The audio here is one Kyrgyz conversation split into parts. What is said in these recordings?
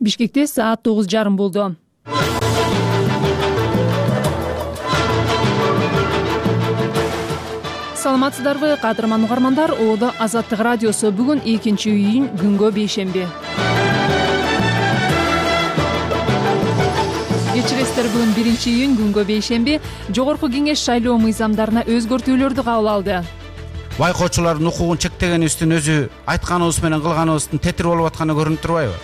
Бишкекте саат 9:30 болду. Саламатсыздарбы, кадырман угармандар? Оодо Азаттык радиосу. Бүгүн 2-июнь, күнгө бейшемби. Кечиресиздер, бүгүн 1-июнь, күнгө бейшемби. Жогорку кеңеш шайлоо мыйзамдарына өзгөртүүлөрдү кабыл алды. Байкоочулардын укугун чектегенибиздин өзү айтканыбыз менен кылганыбыздын тетир болуп атканы көрүнүп турбайбы?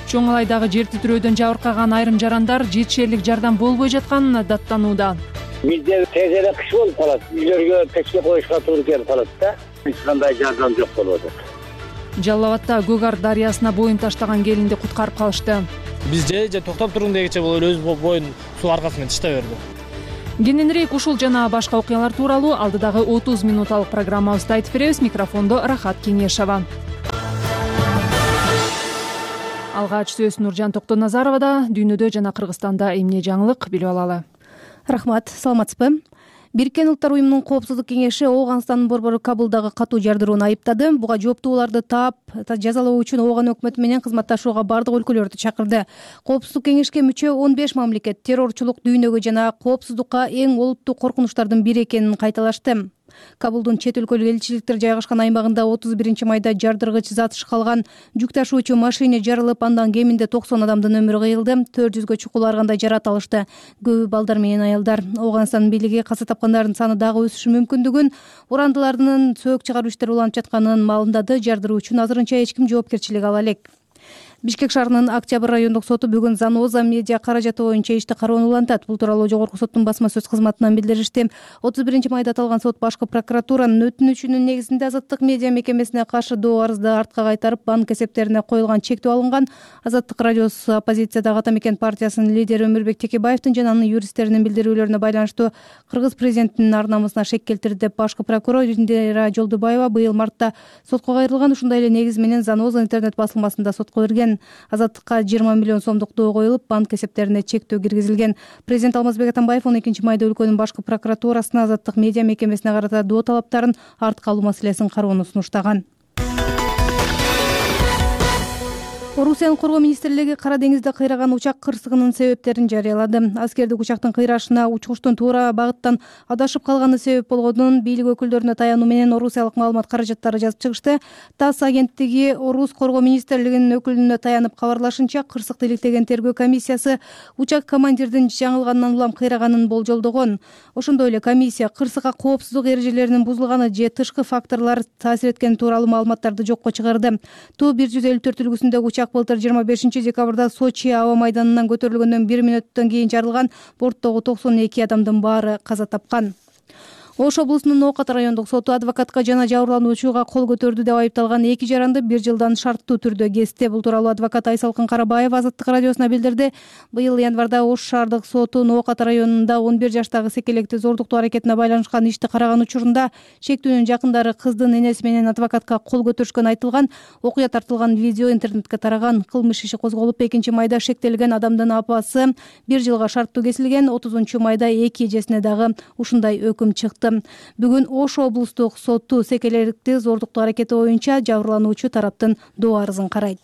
Чоң Алайдагы жер титирөөдөн жабыркаган айрым жарандар жетишерлик жардам болбой жатканына даттанууда. Бизде тезере кыш болуп калат. Үйлөргө печке коюшка туура келип калат да. Эч кандай жардам жок болуп атат. Жалал Абадта Көк Ар дарыясына боюн таштаган келинди куткарып калышты. Биз же токтоп тургун дегиче бул өз боюн суу аркасы менен тыштай берди. Кененирээк ушул жана башка окуялар тууралуу алдыдагы 30 минуталык программабызды айтып беребиз. Микрофондо Рахат Кеңешова. Алгач сөз Нуржан Токтоназаровада. Дүйнөдө жана Кыргызстанда эмне жаңылык билип алалы. Рахмат, саламатсызбы? Бириккен Улуттар уюмунун Коопсуздук кеңеши Ооганстандын борбору Кабулдагы катуу жардырууну айыптады. Буга жооптууларды таап, жазалоо үчүн Ооган өкмөтү менен кызматташууга бардык өлкөлөрдү чакырды. Коопсуздук кеңешке мүчө 15 мамлекет террорчулук дүйнөгө жана коопсуздукка эң олуттуу коркунучтардын бири экенин кайталашты. Кабулдун чет өлкөлүк элчиликтер жайгашкан аймагында 31-майда жардыргыч зат шкалган жүк ташуучу машина жарылып, андан кеминде 90 адамдын өмүрү кыйылды. 400гө чукул ар кандай жарат алышты. Көбү балдар менен аялдар. Ооганстан бийлиги каза тапкандардын саны дагы өсүшү мүмкүндүгүн, урандылардын сөөк чыгаруу иштери уланып жатканын маалымдады. Жардыруу үчүн азырынча эч ким жоопкерчилик ала элек. Бишкек шаарынын Октябрь райондук соту бүгүн Заноза медиа каражаты боюнча ишти кароону улантат. Бул тууралуу Жогорку соттун басма сөз кызматынан билдиришти. 31-майда аталган сот башкы прокуратуранын өтүнүчүнүн негизинде Азаттык медиа мекемесине каршы доо арызды артка кайтарып, банк эсептерине коюлган чектөө алынган. Азаттык радиосу оппозициядагы Ата мекен партиясынын лидери Өмүрбек Текебаевдин жана анын юристтеринин билдирүүлөрүнө байланыштуу Кыргыз президентинин ар намысына шек келтирди деп башкы прокурор Индира Жолдубаева быйыл мартта сотко кайрылган. Ушундай эле негиз менен Заноза интернет басылмасында сотко берген. Азаттыкка 20 миллион сомдук доо коюлуп, банк эсептерине чектөө киргизилген. Президент Алмазбек Атамбаев 12-майда өлкөнүн башкы прокуратурасына Азаттык медиа мекемесине карата доо талаптарын артка алуу маселесин кароону сунуштаган. Орусиянын коргоо министрлиги Кара деңизде кыйраган учак кырсыгынын себептерин жарыялады. Аскердик учактын кыйрашына учкучтун туура багыттан адашып калганы себеп болгонун бийлик өкүлдөрүнө таянуу менен орусиялык маалымат каражаттары жазып чыгышты. ТАСС агенттиги Орус коргоо министрлигинин өкүлүнө таянып кабарлашынча, кырсыкты иликтеген тергөө комиссиясы учак командирдин жаңылгандан улам кыйраганын болжолдогон. Ошондой эле комиссия кырсыкка коопсуздук эрежелеринин бузулганы же тышкы факторлор таасир эткени тууралуу маалыматтарды жокко чыгарды. Ту-154 үлгүсүндөгү учак былтыр 25 декабрда Сочи аба майданынан көтөрүлгөндөн 1 мүнөттөн кийин жарылган. Борттогу 92 адамдын баары каза тапкан. Ош облусунун Ок Ата райондук соту адвокатка жана жабырлануучуга кол көтөрдү деп айыпталган 2 жаранды 1 жылдан шарттуу түрдө кести. Бул тууралуу адвокат Айсалкын Карабаева Азаттык радиосуна билдирди. Быйыл январда Ош шаардык сотунун Ок Ата районунда 11 жаштагы секелекти зордуктоо аракетине байланышкан ишти караган учурунда шектүүнүн жакындары кыздын энеси менен адвокатка кол көтөрүшкөнү айтылган. Окуя тартылган видео интернетке тараган. Кылмыш иши козголуп, 2-майда шектелген адамдын апасы 1 жылга шарттуу кесилген. 30-майда 2 эжесине дагы ушундай өкүм чыкты. Бүгүн Ош облустук соту секелерикти зордуктоо аракети боюнча жабырлануучу тараптын доо арызын карайт.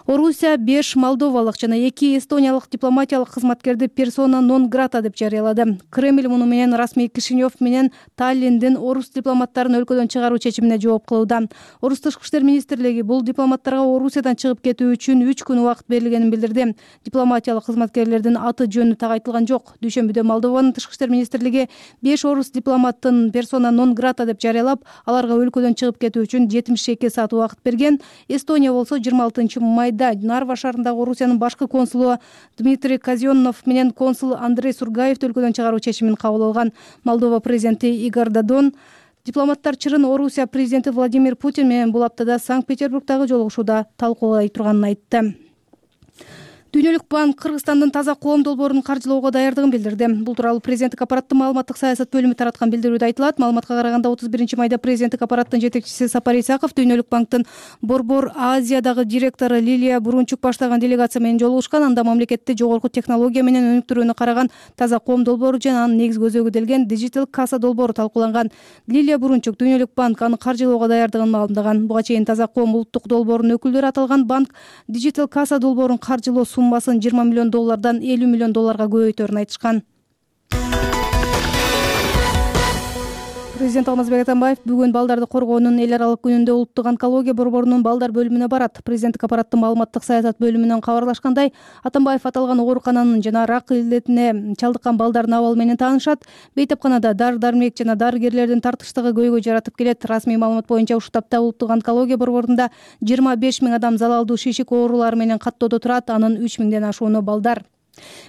Орусия 5 молдовалык жана 2 эстониялык дипломатиялык кызматкерди персона нон грата деп жарыялады. Кремль муну менен расмий Кишинев менен Таллиндин орус дипломаттарын өлкөдөн чыгаруу чечимине жооп кылууда. Орус тышкы иштер министрлиги бул дипломаттарга Орусиядан чыгып кетүү үчүн 3 күн убакыт берилгенин билдирди. Дипломатиялык кызматкерлердин аты жөнү так айтылган жок. Дүйшөмбүдө Молдованын тышкы иштер министрлиги 5 орус дипломаттын персона нон грата деп жарыялап, аларга өлкөдөн чыгып кетүү үчүн 72 саат убакыт берген. Эстония болсо 26-майда Нарва шаарындагы Орусиянын башкы консулу Дмитрий Казённов менен консул Андрей Сургаев өлкөдөн чыгаруу чечимин кабыл алган. Молдова президенти Игорь Додон дипломаттар чырын Орусия президенти Владимир Путин менен бул аптада Санкт-Петербургдагы жолугушууда талкуулай турганын айтты. Дүйнөлүк банк Кыргызстандын таза коом долбоорун каржылоого даярдыгын билдирди. Бул тууралуу президенттик аппараттын маалыматтык саясат бөлүмү тараткан билдирүүдө айтылат. Маалыматка караганда 31 майда президенттик аппараттын жетекчиси Сапар Исаков Дүйнөлүк банктын Борбор Азиядагы директору Лилия Бурунчук баштаган делегация менен жолугушкан. Анда мамлекетте жогорку технология менен өнүктүрүүнү караган таза коом долбоору жана анын негизги өзөгү делген Digital Kassa долбоору талкууланган. Лилия Бурунчук Дүйнөлүк банк аны каржылоого даярдыгын маалымдаган. Буга чейин таза коом улуттук долбоорунун өкүлдөрү аталган банк Digital Kassa долбоорун каржылоо суммасын $20 миллион $50 миллион көбөйтөөрүн айтышкан. Президент Алмазбек Атамбаев бүгүн балдарды коргоонун эл аралык күнүндө улуттук онкология борборунун балдар бөлүмүнө барат. Президенттик аппараттын маалыматтык саясат бөлүмүнөн кабарлашкандай, Атамбаев аталган оорукананын жана рак илдетине чалдыккан балдардын абалы менен таанышат. Бейтапканада дары-дармек жана дарыгерлердин тартыштыгы көйгөй жаратып келет. Расмий маалымат боюнча ушул тапта улуттук онкология борборунда 25 000 адам залалдуу шишик оорулары менен каттоодо турат. Анын 3 000ден ашууну балдар.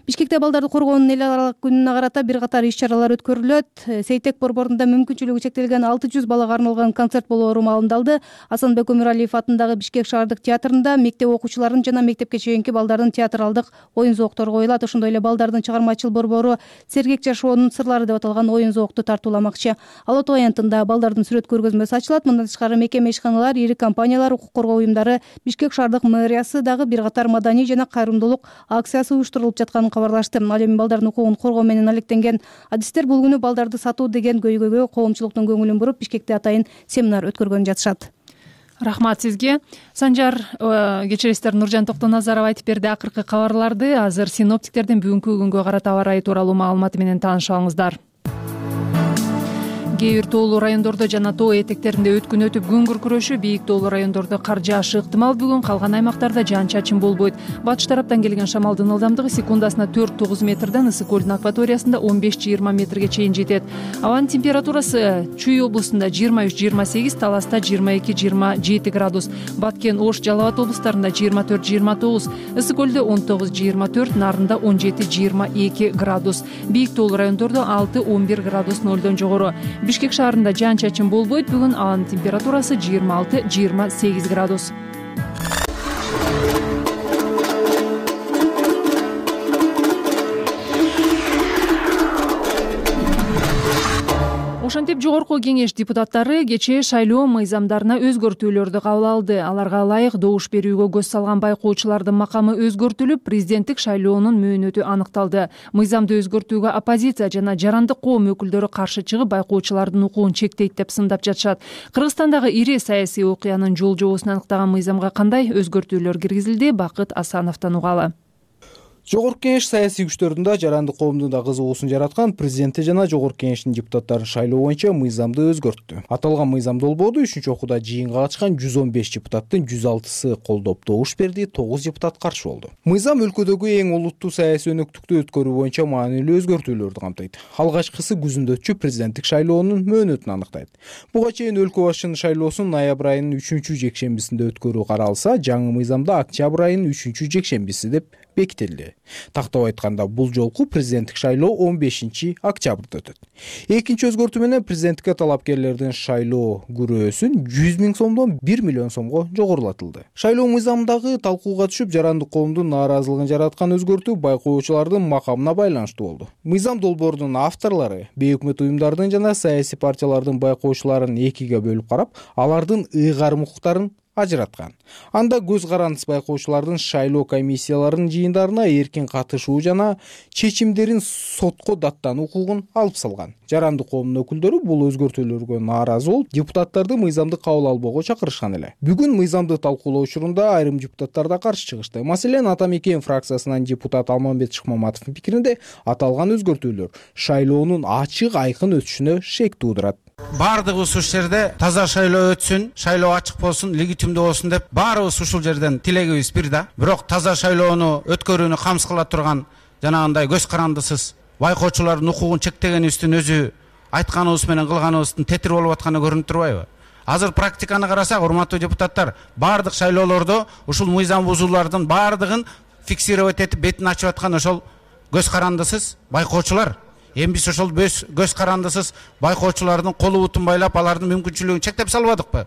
Бишкекте балдарды коргоонун эл аралык күнүнө карата бир катар иш-чаралар өткөрүлөт. Сейтек борборунда мүмкүнчүлүгү чектелген 600 балага арналган концерт болоору маалымдалды. Асанбек Өмүралиев атындагы Бишкек шаардык театрында мектеп окуучуларын жана мектепке чейинки балдардын театралдык оюн зооктору коюлат. Ошондой эле балдардын чыгармачыл борбору Сергек жашоонун сырлары деп аталган оюн зоокду тартууламакчы. Ала Тоо аянтында балдардын сүрөт көргөзмөсү ачылат. Мындан тышкары мекеме ишканалар, ири компаниялар, укук коргоо уюмдары, Бишкек шаардык мэриясы дагы бир катар маданий жана кайрымдуулук акциясы уюштурулуп жатканын кабарлашты. Ал эми балдардын укугун коргоо менен алектенген адистер бул күнү балдарды сатуу деген көйгөйгө коомчулуктун көңүлүн буруп, Бишкекте атайын семинар өткөргөн жатышат. Рахмат сизге. Санжар кечиресиздер, Нуржан Токтоназаров айтып берди акыркы кабарларды. Азыр синоптиктердин бүгүнкү күнгө карата аба ырайы тууралуу маалыматы менен таанышып алыңыздар. Кээ бир тоолуу райондордо жана тоо этектеринде өткүн өтүп күн күркүрөшү, бийик тоолуу райондордо кар жаашы ыктымал. Бүгүн калган аймактарда жаан-чачын болбойт. Батыш тараптан келген шамалдын ылдамдыгы секундасына 4-9 метрден Ысык көлдүн акваториясында 15-20 метрге чейин жетет. Абанын температурасы Чүй облусунда 23-28, Таласта 22-27 градус, Баткен, Ош, Жалал Абад облустарында 24-29, Ысык көлдө 19-24, Нарында 17-22 градус. Бийик тоолуу райондордо 6-11 градус нөлдөн жогору. Бишкек шаарында жаан-чачын болбойт. Бүгүн абанын температурасы 26-28 градус. Ошентип жогорку кеңеш депутаттары кечээ шайлоо мыйзамдарына өзгөртүүлөрдү кабыл алды. Аларга ылайык добуш берүүгө көз салган байкоочулардын макамы өзгөртүлүп, президенттик шайлоонун мөөнөтү аныкталды. Мыйзамды өзгөртүүгө оппозиция жана жарандык коом өкүлдөрү каршы чыгып, байкоочулардын укугун чектейт деп сындап жатышат. Кыргызстандагы ири саясий окуянын жол жобосун аныктаган мыйзамга кандай өзгөртүүлөр киргизилди? Бакыт Асановдон угалы. Жогорку кеңеш саясий күчтөрдүн жарандык коомдун да кызыгуусун жараткан президенти жана жогорку кеңештин депутаттарын шайлоо боюнча мыйзамды өзгөрттү. Аталган мыйзам долбоорду 3-чү окууда жыйынга катышкан 115 депутаттын 106сы колдоп добуш берди, 9 депутат каршы болду. Мыйзам өлкөдөгү эң олуттуу саясий өнөктүктү өткөрүү боюнча маанилүү өзгөртүүлөрдү камтыйт. Алгачкысы күзүндө өтчү президенттик шайлоонун мөөнөтүн аныктайт. Буга чейин өлкө башчынын шайлоосун ноябрь айынын 3-чү жекшембисинде өткөрүү каралса, жаңы мыйзамда октябрь айынын 3-чү жекшембиси деп бекитилди. Тактап айтканда, бул жолку президенттик шайлоо 15 октябрда өтөт. Экинчи өзгөртүү менен президенттикке талапкерлердин шайлоо күрөөсүн 100 000 сомдон 1 миллион сомго жогорулатылды. Шайлоо мыйзамындагы талкууга түшүп, жарандык коомдун нааразылыгын жараткан өзгөртүү байкоочулардын макамына байланыштуу болду. Мыйзам долбоорунун авторлору бейөкмөт уюмдардын жана саясий партиялардын байкоочуларын экиге бөлүп карап, алардын ыйгарым укуктарын ажыраткан. Анда көз карандысыз байкоочулардын шайлоо комиссияларынын жыйындарына эркин катышуу жана чечимдерин сотко даттануу укугун алып салган. Жарандык коомдун өкүлдөрү бул өзгөртүүлөргө нааразы болуп, депутаттарды мыйзамды кабыл албоого чакырышкан эле. Бүгүн мыйзамды талкуулоо учурунда айрым депутаттар да каршы чыгышты. Маселен, Ата Мекен фракциясынан депутат Алмамбет Шыкмаматовдун пикиринде, аталган өзгөртүүлөр шайлоонун ачык айкын өтүшүнө шек туудурат. Бардыгыбыз ушул жерде таза шайлоо өтсүн, шайлоо ачык болсун, легитимдүү болсун деп баарыбыз ушул жерден тилегибиз бир да. Бирок таза шайлоону өткөрүүнү камсыз кыла турган жанагындай көз карандысыз байкоочулардын укугун чектегенибиздин өзү айтканыбыз менен кылганыбыздын тетир болуп атканы көрүнүп турбайбы? Азыр практиканы карасак, урматтуу депутаттар, бардык шайлоолордо ушул мыйзам бузуулардын бардыгын фиксировать этип бетин ачып аткан ошол көз карандысыз байкоочулар. Эми биз ошол көз карандысыз байкоочулардын колу бутун байлап, алардын мүмкүнчүлүгүн чектеп салбадыкпы?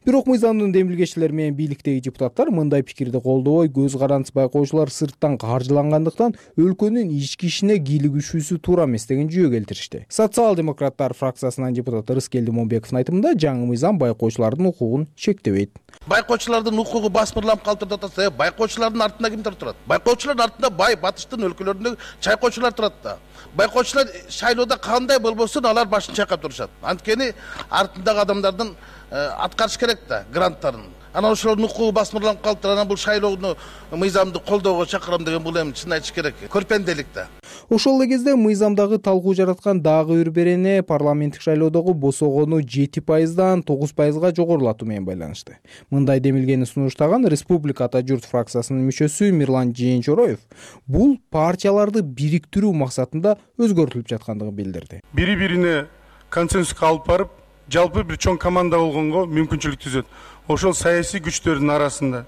Бирок мыйзамдын демилгечилери менен бийликтеги депутаттар мындай пикирди колдобой, көз карандысыз байкоочулар сырттан каржылангандыктан өлкөнүн ички ишине кийлигишүүсү туура эмес деген жүйө келтиришти. Социал-демократтар фракциясынын депутаты Рыскелди Момбековдун айтымында жаңы мыйзам байкоочулардын укугун чектебейт. Байкоочулардын укугу басмырланып калып атат. Байкоочулардын артында кимдер турат? Байкоочулардын артында бай батыштын өлкөлөрүндө чайкоочулар турат да. Байкоочулар шайлоодо кандай болбосун алар башын чайкап турушат. Анткени артындагы адамдардын аткарыш керек да гранттарын. Анан ошолордун укугу басмырланып калыптыр. Анан бул шайлоону мыйзамды колдоого чакырам деген бул эми чын айтыш керек. Көрпенделик да. Ошол эле кезде мыйзамдагы талкуу жараткан дагы бир берене парламенттик шайлоодогу босогону 7%дан 9%га жогорулатуу менен байланышты. Мындай демилгени сунуштаган Республика Ата журт фракциясынын мүчөсү Мирлан Жээнчороев бул партияларды бириктирүү максатында өзгөртүлүп жаткандыгын билдирди. Бири-бирине консенсуска алып барып, жалпы бир чоң команда болгонго мүмкүнчүлүк түзөт. Ошол саясий күчтөрдүн арасында,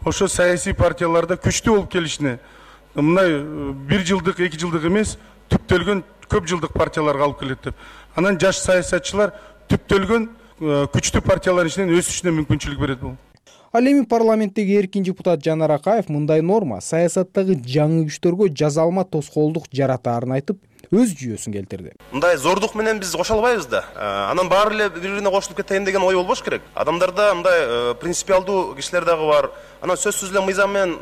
ошол саясий партияларда күчтүү болуп келишине мындай 1 жылдык, 2 жылдык эмес, түптөлгөн көп жылдык партияларга алып келет деп. Анан жаш саясатчылар түптөлгөн күчтүү партиялардын ичинен өсүшүнө мүмкүнчүлүк берет бул. Ал эми парламенттеги эркин депутат Жанар Акаев мындай норма саясаттагы жаңы күчтөргө жазалма тоскоолдук жаратаарын айтып, өз жүйөсүн келтирди. Мындай зордук менен биз кошо албайбыз да. Анан баары эле бири-бирине кошулуп кетейин деген ой болбош керек. Адамдарда мындай принципиалдуу кишилер дагы бар. Анан сөзсүз эле мыйзам менен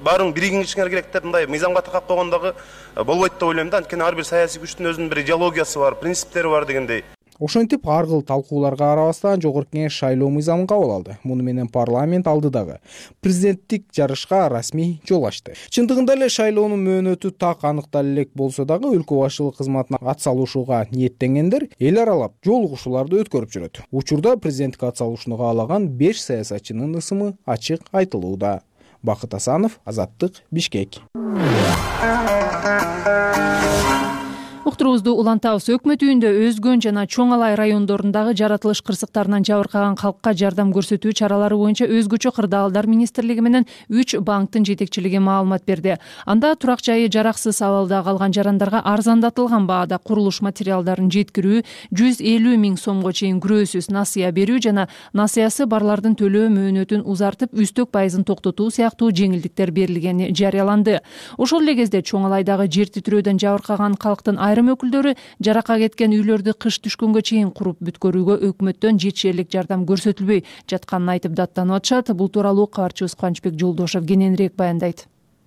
баарын биригиңишиңер керек деп мындай мыйзамга такап койгон дагы болбойт деп ойлойм да. Анткени ар бир саясий күчтүн өзүнүн бир идеологиясы бар, принциптери бар дегендей. Ошентип ар кыл талкууларга карабастан Жогорку Кеңеш шайлоо мыйзамын кабыл алды. Муну менен парламент алдыдагы президенттик жарышка расмий жол ачты. Чындыгында эле шайлоонун мөөнөтү так аныктала элек болсо дагы өлкө башчылык кызматына ат салышууга ниеттенгендер эл аралап жолугушууларды өткөрүп жүрөт. Учурда президенттик ат салышууну каалаган 5 саясатчынын ысымы ачык айтылууда. Бакыт Асанов, Азаттык, Бишкек. Уктурубузду улантабыз. Өкмөт үйүндө Өзгөн жана Чоң Алай райондорундагы жаратылыш кырсыктарынан жабыркаган калкка жардам көрсөтүү чаралары боюнча өзгөчө кырдаалдар министрлиги менен 3 банктын жетекчилиги маалымат берди. Анда турак жайы жараксыз абалда калган жарандарга арзандатылган баада курулуш материалдарын жеткирүү, 150 000 сомго чейин күрөөсүз насыя берүү жана насыясы барлардын төлөө мөөнөтүн узартып, үстөк пайызын токтотуу сыяктуу жеңилдиктер берилгени жарыяланды. Ошол эле кезде Чоң Алайдагы жер титирөөдөн жабыркаган калктын айрым өкүлдөрү жаракка кеткен үйлөрдү кыш түшкөнгө чейин куруп бүткөрүүгө өкмөттөн жетишерлик жардам көрсөтүлбөй жатканын айтып даттанып атышат. Бул тууралуу кабарчыбыз Кубанычбек Жолдошов кененирээк баяндайт.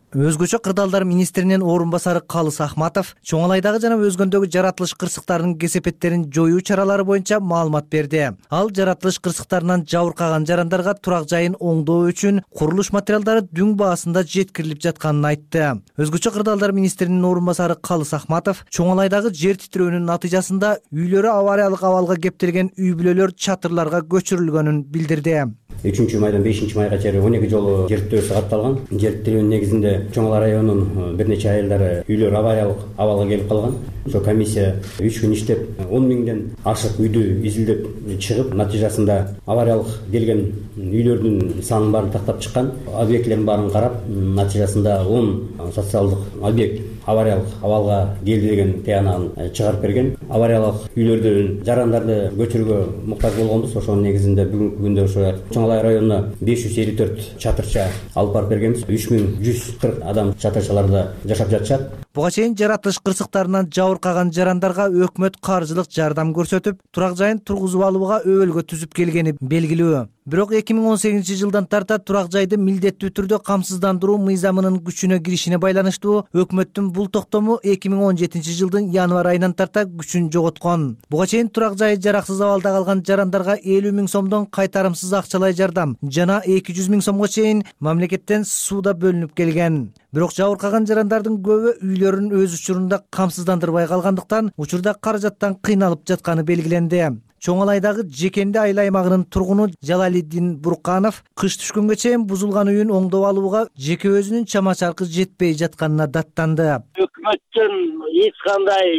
Өзгөчө кырдаалдар министринин орун басары Калыс Ахматов Чоң Алайдагы жана Өзгөндөгү жаратылыш кырсыктарынын кесепеттерин жоюу чаралары боюнча маалымат берди. Ал жаратылыш кырсыктарынан жабыркаган жарандарга турак жайын оңдоо үчүн курулуш материалдары дүң баасында жеткирилип жатканын айтты. Өзгөчө кырдаалдар министринин орун басары Калыс Ахматов Чоң Алайдагы жер титирөөнүн натыйжасында үйлөрү авариялык абалга кептелген үй бүлөлөр чатырларга көчүрүлгөнүн билдирди. 3-майдан 5-майга чейин 12 жолу жер титирөө саатталган. Жер титирөөнүн негизинде Чоң Алай районунун бир нече айылдары үйлөр авариялык абалга келип калган. Ошо комиссия 3 күн иштеп 10 000ден ашык үйдү изилдеп чыгып, натыйжасында авариялык келген үйлөрдүн санын баарын тактап чыккан. Объектилердин баарын карап, натыйжасында 10 социалдык объект авариялык абалга келди деген тыянагын чыгарып берген. Авариялык үйлөрдөн жарандарды көчүрүүгө муктаж болгонбуз. Ошонун негизинде бүгүнкү күндө ошо Чоң Алай районуна 554 чатырча алып барып бергенбиз. 3140 адам чатырчаларда жашап жатышат. Буга чейин жаратылыш кырсыктарынан жабыркаган жарандарга өкмөт каржылык жардам көрсөтүп, турак жайын тургузуп алууга өбөлгө түзүп келгени белгилүү. Бирок 2018 жылдан тарта турак жайды милдеттүү түрдө камсыздандыруу мыйзамынын күчүнө киришине байланыштуу өкмөттүн бул токтому 2017 жылдын январь айынан тарта күчүн жоготкон. Буга чейин турак жайы жараксыз абалда калган жарандарга 50 000 сомдон кайтарымсыз акчалай жардам жана 200 000 сомго чейин мамлекеттен сууда бөлүнүп келген. Бирок жабыркаган жарандардын көбү үйлөрүн өз учурунда камсыздандырбай калгандыктан учурда каражаттан кыйналып жатканы белгиленди. Чоң Алайдагы Жекенди айыл аймагынын тургуну Жалалиддин Бурканов кыш түшкөнгө чейин бузулган үйүн оңдоп алууга жеке өзүнүн чама чаркы жетпей жатканына даттанды. Өкмөттөн эч кандай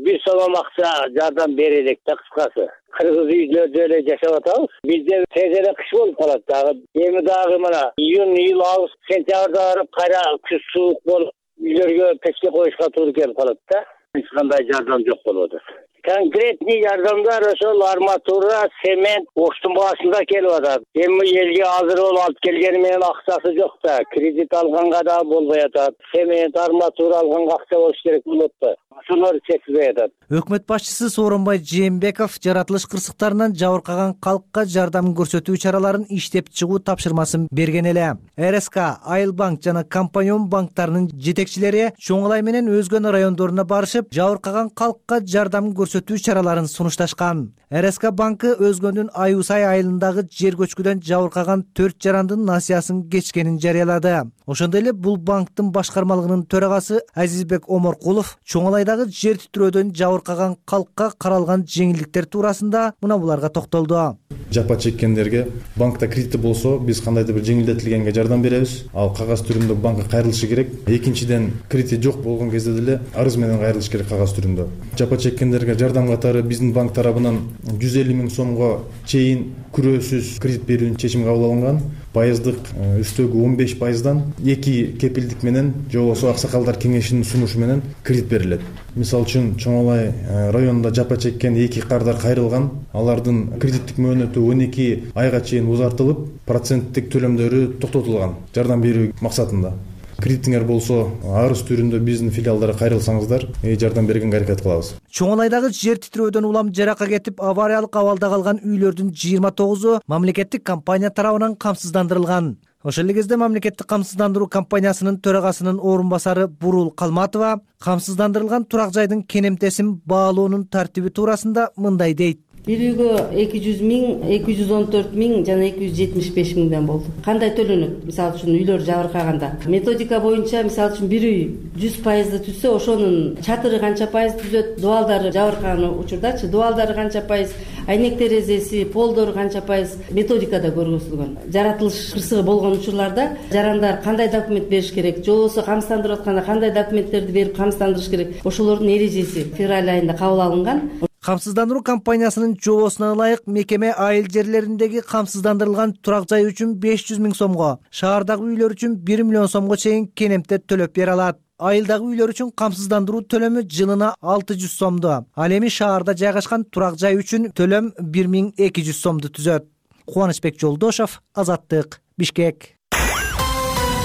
бир сом акча жардам бере элек да, кыскасы. Кыргыз үйлөрдө эле жашап атабыз. Бизде тез эле кыш болуп калат дагы. Эми дагы мына июнь, июль, август, сентябрда барып кайра күз суук болуп үйлөргө печке коюшка туура келип калат да. Эч кандай жардам жок болуп атат. Конкретный жардамдар ошол арматура, цемент оштун баасында келип атат. Эми элге азыр болуп алып келгени менен акчасы жок да, кредит алганга да болбой атат. Цемент, арматура алганга акча болуш керек болот да. Ошолор жетпей атат. Өкмөт башчысы Сооронбай Жээнбеков жаратылыш кырсыктарынан жабыркаган калкка жардам көрсөтүү чараларын иштеп чыгуу тапшырмасын берген эле. РСК, Айыл банк жана Компаньон банктарынын жетекчилери Чоңалай менен өзгөн райондоруна барышып, жабыркаган калкка жардам көрсөтүү чараларын сунушташкан. РСК банкы Өзгөндүн Аюусай айылындагы жер көчкүдөн жабыркаган 4 жарандын насыясын кечкенин жарыялады. Ошондой эле бул банктын башкармалыгынын төрагасы Азизбек Оморкулов Чоңалайдагы жер титирөөдөн жабыркаган калкка каралган жеңилдиктер туурасында мына буларга токтолду. Жапа чеккендерге банкта кредити болсо, биз кандайдыр бир жеңилдетилгенге жардам беребиз. Ал кагаз түрүндө банкка кайрылышы керек. Экинчиден, кредити жок болгон кезде деле арыз менен кайрылыш керек кагаз түрүндө. Жапа чеккендерге жардам катары биздин банк тарабынан 150 миң сомго чейин күрөөсүз кредит берүүнүн чечими кабыл алынган. Пайыздык үстөгү 15%дан 2 кепилдик менен же болбосо аксакалдар кеңешинин сунушу менен кредит берилет. Мисалы үчүн Чоңалай районунда жапа чеккен 2 кардар кайрылган. Алардын кредиттик мөөнөтү 12 айга чейин узартылып, проценттик төлөмдөрү токтотулган жардам берүү максатында. Кредитиңер болсо, арыз түрүндө биздин филиалдарга кайрылсаңыздар, жардам бергенге аракет кылабыз. Чоңалайдагы жер титирөөдөн улам жаракка кетип, авариялык абалда калган үйлөрдүн 29-у мамлекеттик компания тарабынан камсыздандырылган. Ошол эле кезде мамлекеттик камсыздандыруу компаниясынын төрагасынын орун басары Бурул Калматова камсыздандырылган турак жайдын кенемтесин баалоонун тартиби туурасында мындай дейт. Бир үйгө 200 миң, 214 миң жана 275 миңден болду. Кандай төлөнөт? Мисалы үчүн үйлөр жабыркаганда. Методика боюнча мисалы үчүн бир үй 100% түзсө, ошонун чатыры канча пайыз түзөт, дубалдары жабыркаган учурдачы, дубалдары канча пайыз, айнек терезеси, полдору канча пайыз методикада көргөзүлгөн. Жаратылыш кырсыгы болгон учурларда жарандар кандай документ бериш керек, же болбосо камсыздандырып атканда кандай документтерди берип камсыздандырыш керек. Ошолордун эрежеси февраль айында кабыл алынган. Камсыздандыруу компаниясынын жобосуна ылайык мекеме айыл жерлериндеги камсыздандырылган турак жай үчүн 500 миң сомго, шаардагы үйлөр үчүн 1 миллион сомго чейин кенемте төлөп бере алат. Айылдагы үйлөр үчүн камсыздандыруу төлөмү жылына 600 сомду. Ал эми шаарда жайгашкан турак жай үчүн төлөм 1200 сомду түзөт. Кубанычбек Жолдошов, Азаттык, Бишкек.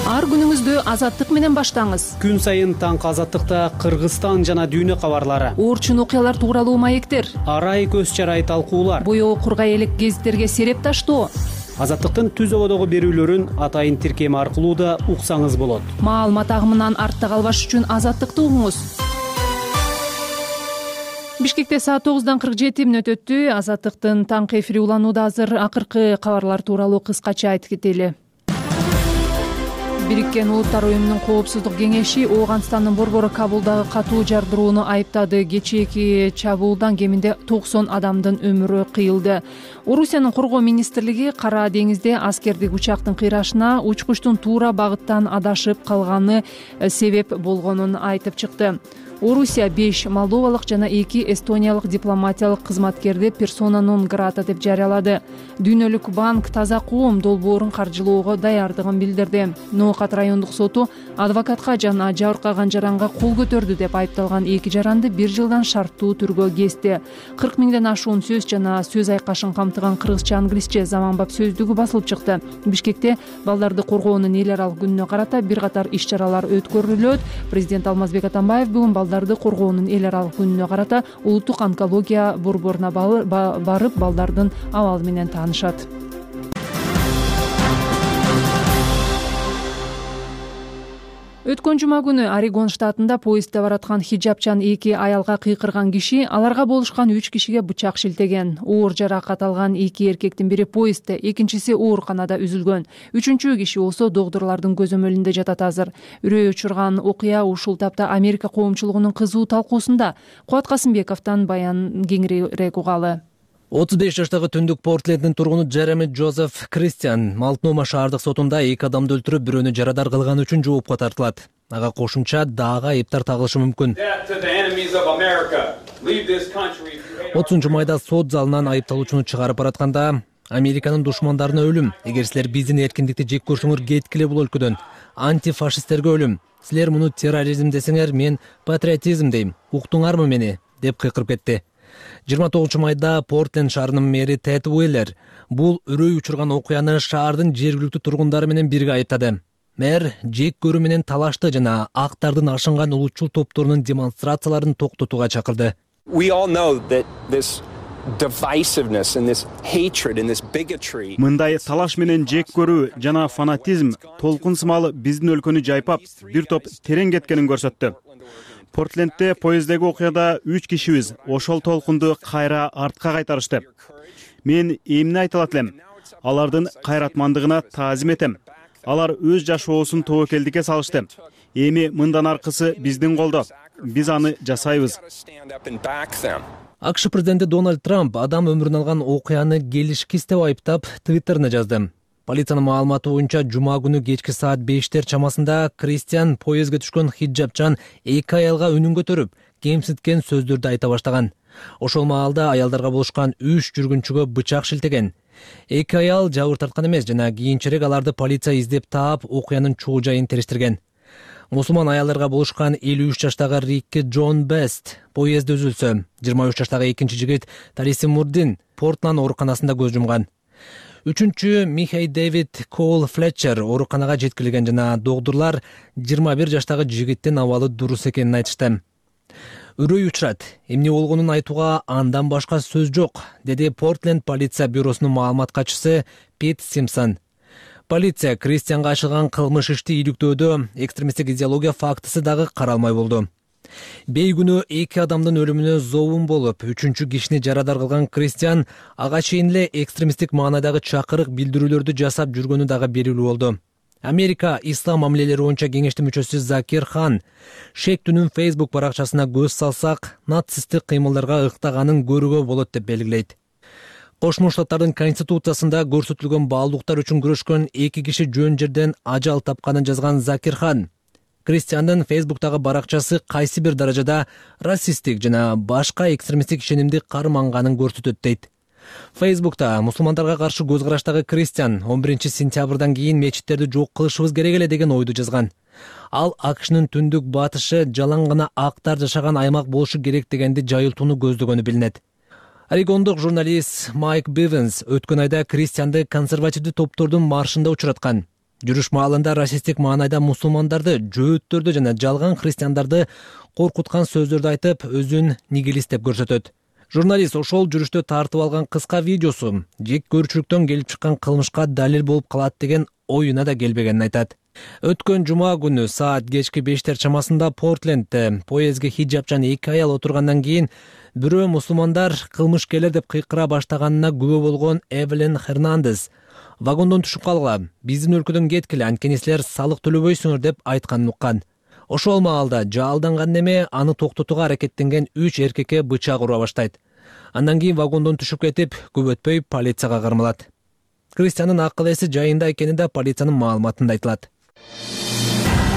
Ар күнүңүздү Азаттык менен баштаңыз. Күн сайын таңкы Азаттыкта Кыргызстан жана дүйнө кабарлары, Орчун окуялар тууралуу маектер, арай көз чарай талкуулар, боёо кургай элек гезиттерге сереп таштоо. Азаттыктын түз ободогу берүүлөрүн атайын тиркем аркылуу да уксаңыз болот. Маалымат агымынан артта калбаш үчүн Азаттыкты угуңуз. Бишкекте саат 9:47 өтөттү. Азаттыктын таңкы эфири уланууда азыр. Акыркы кабарлар тууралуу кыскача айтып кетели. Бириккен Улуттар уюмунун Коопсуздук кеңеши Ооганстандын борбору Кабулдагы катуу жардырууну айыптады. Кечээки чабуулдан кеминде 90 адамдын өмүрү кыйылды. Орусиянын коргоо министрлиги Кара деңизде аскердик учактын кыйрашына учкучтун туура багыттан адашып калганы себеп болгонун айтып чыкты. Орусия 5 молдовалык жана 2 эстониялык дипломатиялык кызматкерди персона нон грата деп жарыялады. Дүйнөлүк банк таза коом долбоорун каржылоого даярдыгын билдирди. Ноокат райондук соту адвокатка жана жабыркаган жаранга кол көтөрдү деп айыпталган 2 жаранды 1 жылдан шарттуу түргө кести. 40 миңден ашуун сөз жана сөз айкашын камтыган кыргызча, англисче заманбап сөздүгү басылып чыкты. Бишкекте балдарды коргоонун эл аралык күнүнө карата бир катар иш-чаралар өткөрүлөт. Президент Алмазбек Атамбаев бүгүн балдарды коргоонун эл аралык күнүнө карата улуттук онкология борборуна барып балдардын абалы менен таанышат. Өткөн жума күнү Орегон штатында поездде бараткан хиджабчан 2 аялга кыйкырган киши аларга болушкан 3 кишиге бычак шилтеген. Оор жаракат алган 2 эркектин бири поездде, экинчиси ооруканада үзүлгөн. 3-чү киши болсо доктурлардын көзөмөлүндө жатат азыр. Үрөй учурган окуя ушул тапта Америка коомчулугунун кызуу талкуусунда. Кубат Касымбековдон баян кеңирээк угалы. 35 жаштагы түндүк Портленддин тургуну Джереми Джозеф Кристиан Малтнома шаардык сотунда 2 адамды өлтүрүп, бирөөнү жарадар кылган үчүн жоопко тартылат. Ага кошумча дагы айыптар тагылышы мүмкүн. 30 майда сот залынан айыпталуучуну чыгарып баратканда Американын душмандарына өлүм. Эгер силер биздин эркиндикти жек көрсөңөр кеткиле бул өлкөдөн. Антифашисттерге өлүм. Силер муну терроризм десеңер, мен патриотизм дейм. Уктуңарбы мени? Деп кыйкырып кетти. 29 майда Портленд шаарынын мэри Тед Уиллер бул үрөй учурган окуяны шаардын жергиликтүү тургундары менен бирге айыптады. Мэр жек көрүү менен талашты жана актардын ашынган улутчул топторунун демонстрацияларын токтотууга чакырды. We all know that this divisiveness and this hatred and this bigotry. Мындай талаш менен жек көрүү жана фанатизм толкун сымалы биздин өлкөнү жайпап, бир топ терең кеткенин көрсөттү. Портлендде поезддеги окуяда 3 кишибиз ошол толкунду кайра артка кайтарышты. Мен эмне айта алат элем? Алардын кайратмандыгына таазим этем. Алар өз жашоосун тобокелдикке салышты. Эми мындан аркысы биздин колдо. Биз аны жасайбыз. АКШ президенти Дональд Трамп адам өмүрүн алган окуяны келишкис деп айыптап Твиттерине жазды. Полициянын маалыматы боюнча жума күнү кечки саат 5 чамасында Кристиан поездге түшкөн хиджабчан 2 аялга үнүн көтөрүп, кемситкен сөздөрдү айта баштаган. Ошол маалда аялдарга болушкан 3 жүргүнчүгө бычак шилтеген. 2 аял жабыр тарткан эмес жана кийинчерээк аларды полиция издеп таап, окуянын чоо жайын териштирген. Мусулман аялдарга болушкан 53 жаштагы Рикки Джон Бест поездде үзүлсө, 23 жаштагы экинчи жигит Тариси Мурдин Портланд ооруканасында көз жумган. Үчүнчү Михей Дэвид Коул Флетчер ооруканага жеткирилген жана доктурлар 21 жаштагы жигиттин абалы дурус экенин айтышты. Үрөй учурат, эмне болгонун айтууга андан башка сөз жок, деди Портленд полиция бюросунун маалымат катчысы Пит Симпсон. Полиция Кристианга ачылган кылмыш ишти иликтөөдө экстремисттик идеология фактысы дагы каралмай болду. Бей күнү 2 адамдын өлүмүнө зообун болуп, 3-чү кишини жарадар кылган Кристиан ага чейин эле экстремисттик маанайдагы чакырык билдирүүлөрдү жасап жүргөнү дагы белгилүү болду. Америка Ислам мамилелери боюнча кеңештин мүчөсү Закир Хан шектүүнүн Facebook баракчасына көз салсак, нацисттик кыймылдарга ыктаганын көрүүгө болот деп белгилейт. Кошмо Штаттардын конституциясында көрсөтүлгөн баалуулуктар үчүн күрөшкөн 2 киши жөн жерден ажал тапканын жазган Закир Хан Кристиандын Facebook'тагы баракчасы кайсы бир даражада расисттик жана башка экстремисттик ишенимди карманганын көрсөтөт дейт. Facebook'та мусулмандарга каршы көз караштагы Кристиан 11 сентябрдан кийин мечиттерди жок кылышыбыз керек эле деген ойду жазган. Ал АКШнын түндүк батышы жалаң гана актар жашаган аймак болушу керек дегенди жайылтууну көздөгөнү билинет. Орегондук журналист Майк Бивенс өткөн айда Кристианды консервативдүү топтордун маршында учураткан. Жүрүш маалында расисттик маанайда мусулмандарды, жөөттөрдү жана жалган христиандарды коркуткан сөздөрдү айтып, өзүн нигилист деп көрсөтөт. Журналист ошол жүрүштө тартып алган кыска видеосу жек көрүүчүлүктөн келип чыккан кылмышка далил болуп калат деген оюна да келбегенин айтат. Өткөн жума күнү саат кечки 5 чамасында Портлендде поездге хиджабчан 2 аял отургандан кийин бирөө мусулмандар кылмышкерлер деп кыйкыра баштаганына күбө болгон Эвелин Хернандес вагондон түшүп калгыла, биздин өлкөдөн кеткиле, анткени силер салык төлөбөйсүңөр деп айтканын уккан. Ошол маалда жалданган неме аны токтотууга аракеттенген 3 эркекке бычак ура баштайт. Андан кийин вагондон түшүп кетип, көп өтпөй полицияга кармалат. Кристиандын акыл эси жайында экени да полициянын маалыматында айтылат.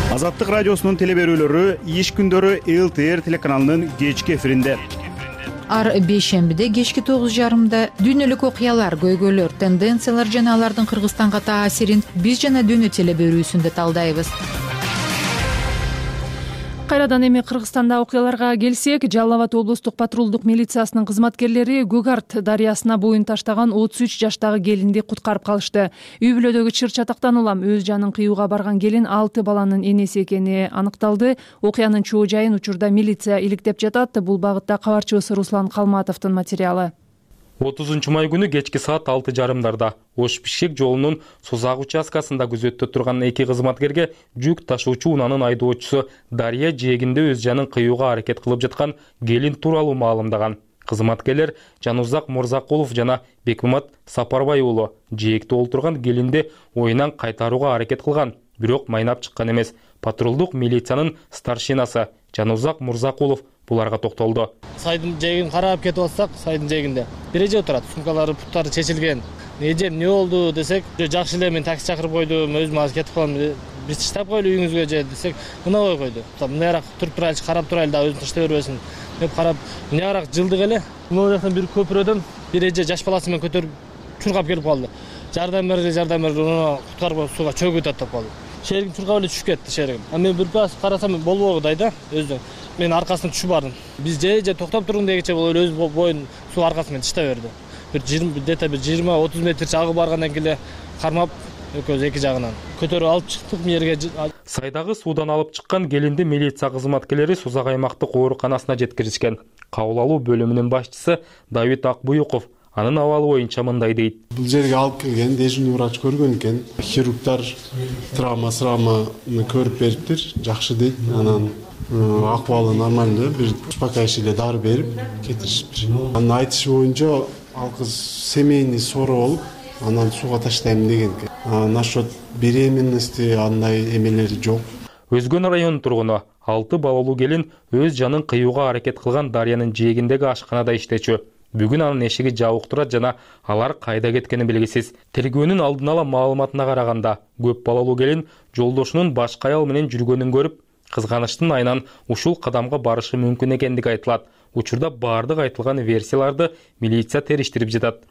Азаттык радиосунун телеберүүлөрү иш күндөрү ЛТР телеканалынын кечки эфиринде. Ар бейшембиде кечки 9:30 дүйнөлүк окуялар, көйгөйлөр, тенденциялар жана алардын Кыргызстанга таасирин биз жана дүйнө телеберүүсүндө талдайбыз. Кайрадан эми Кыргызстанда окуяларга келсек, Жалал Абад облустук патрулдук милициясынын кызматкерлери Көк Арт дарыясына боюн таштаган 33 жаштагы келинди куткарып калышты. Үй бүлөдөгү чыр чатактан улам өз жанын кыюуга барган келин 6 баланын энеси экени аныкталды. Окуянын чоо жайын учурда милиция иликтеп жатат. Бул багытта кабарчыбыз Руслан Калматовдун материалы. 30 май күнү кечки саат 6:30 Ош-Бишкек жолунун Созак участкасында күзөттө турган 2 кызматкерге жүк ташуучу унаанын айдоочусу дарыя жээгинде өз жанын кыюуга аракет кылып жаткан келин тууралуу маалымдаган. Кызматкерлер Жанузак Мурзакулов жана Бекмамат Сапарбай уулу жээкте олтурган келинди оюнан кайтарууга аракет кылган, бирок майнап чыккан эмес. Патрулдук милициянын старшинасы Жанузак Мурзакулов буларга токтолду. Сайдын жээгин карап кетип атсак, сайдын жээгинде бир эже отурат, сумкалары, буттары чечилген. Эже эмне болду десек, жакшы эле мен такси чакырып койдум, өзүм азыр кетип калам, биз таштап койлу үйүңүзгө же десек, мына ой койду. Мынайраак туруп турайлычы, карап турайлы да өзүн таштай бербесин деп карап, мынайраак жылдык эле. Могу жактан бир көпүрөдөн бир эже жаш баласы менен көтөрүп чуркап келип калды. Жардам бер, куткарып сууга чөгүп атып калды. шеригим чуркап эле түшүп кетти шеригим. Мен бир пас карасам болбогудай да өзү. Мен аркасынан түшүп бардым. Биз же токтоп туруң дегенче бул эле өз боюн суу аркасынан тышта берди. Бир 20-30 метрче агып баргандан кийин эле кармап экөөбүз эки жагынан көтөрүп алып чыктык жерге. Сайдагы суудан алып чыккан келинди милиция кызматкерлери Сузак аймактык ооруканасына жеткиришкен. Кабыл алуу бөлүмүнүн башчысы Давид Акбуюков анын абалы боюнча мындай дейт. Бул жерге алып келген дежурный врач көргөн экен. Хирургдар травманы көрүп бериптир, жакшы дейт. Анан акыбалы нормальный, бир успокаивающий дары берип кетиришиптир. Анын айтышы боюнча ал кыз семейный ссора болуп, анан сууга таштайм деген экен. Насчет беременности андай эмелери жок. Өзгөн районунун тургуну 6 балалуу келин өз жанын кыюуга аракет кылган Дарыянын жээгиндеги ашканада иштечү. Бүгүн анын эшиги жабык турат жана алар кайда кеткени белгисиз. Тергөөнүн алдын ала маалыматына караганда, көп балалуу келин жолдошунун башка аял менен жүргөнүн көрүп, кызганычтын айынан ушул кадамга барышы мүмкүн экендиги айтылат. Учурда бардык айтылган версияларды милиция териштирип жатат.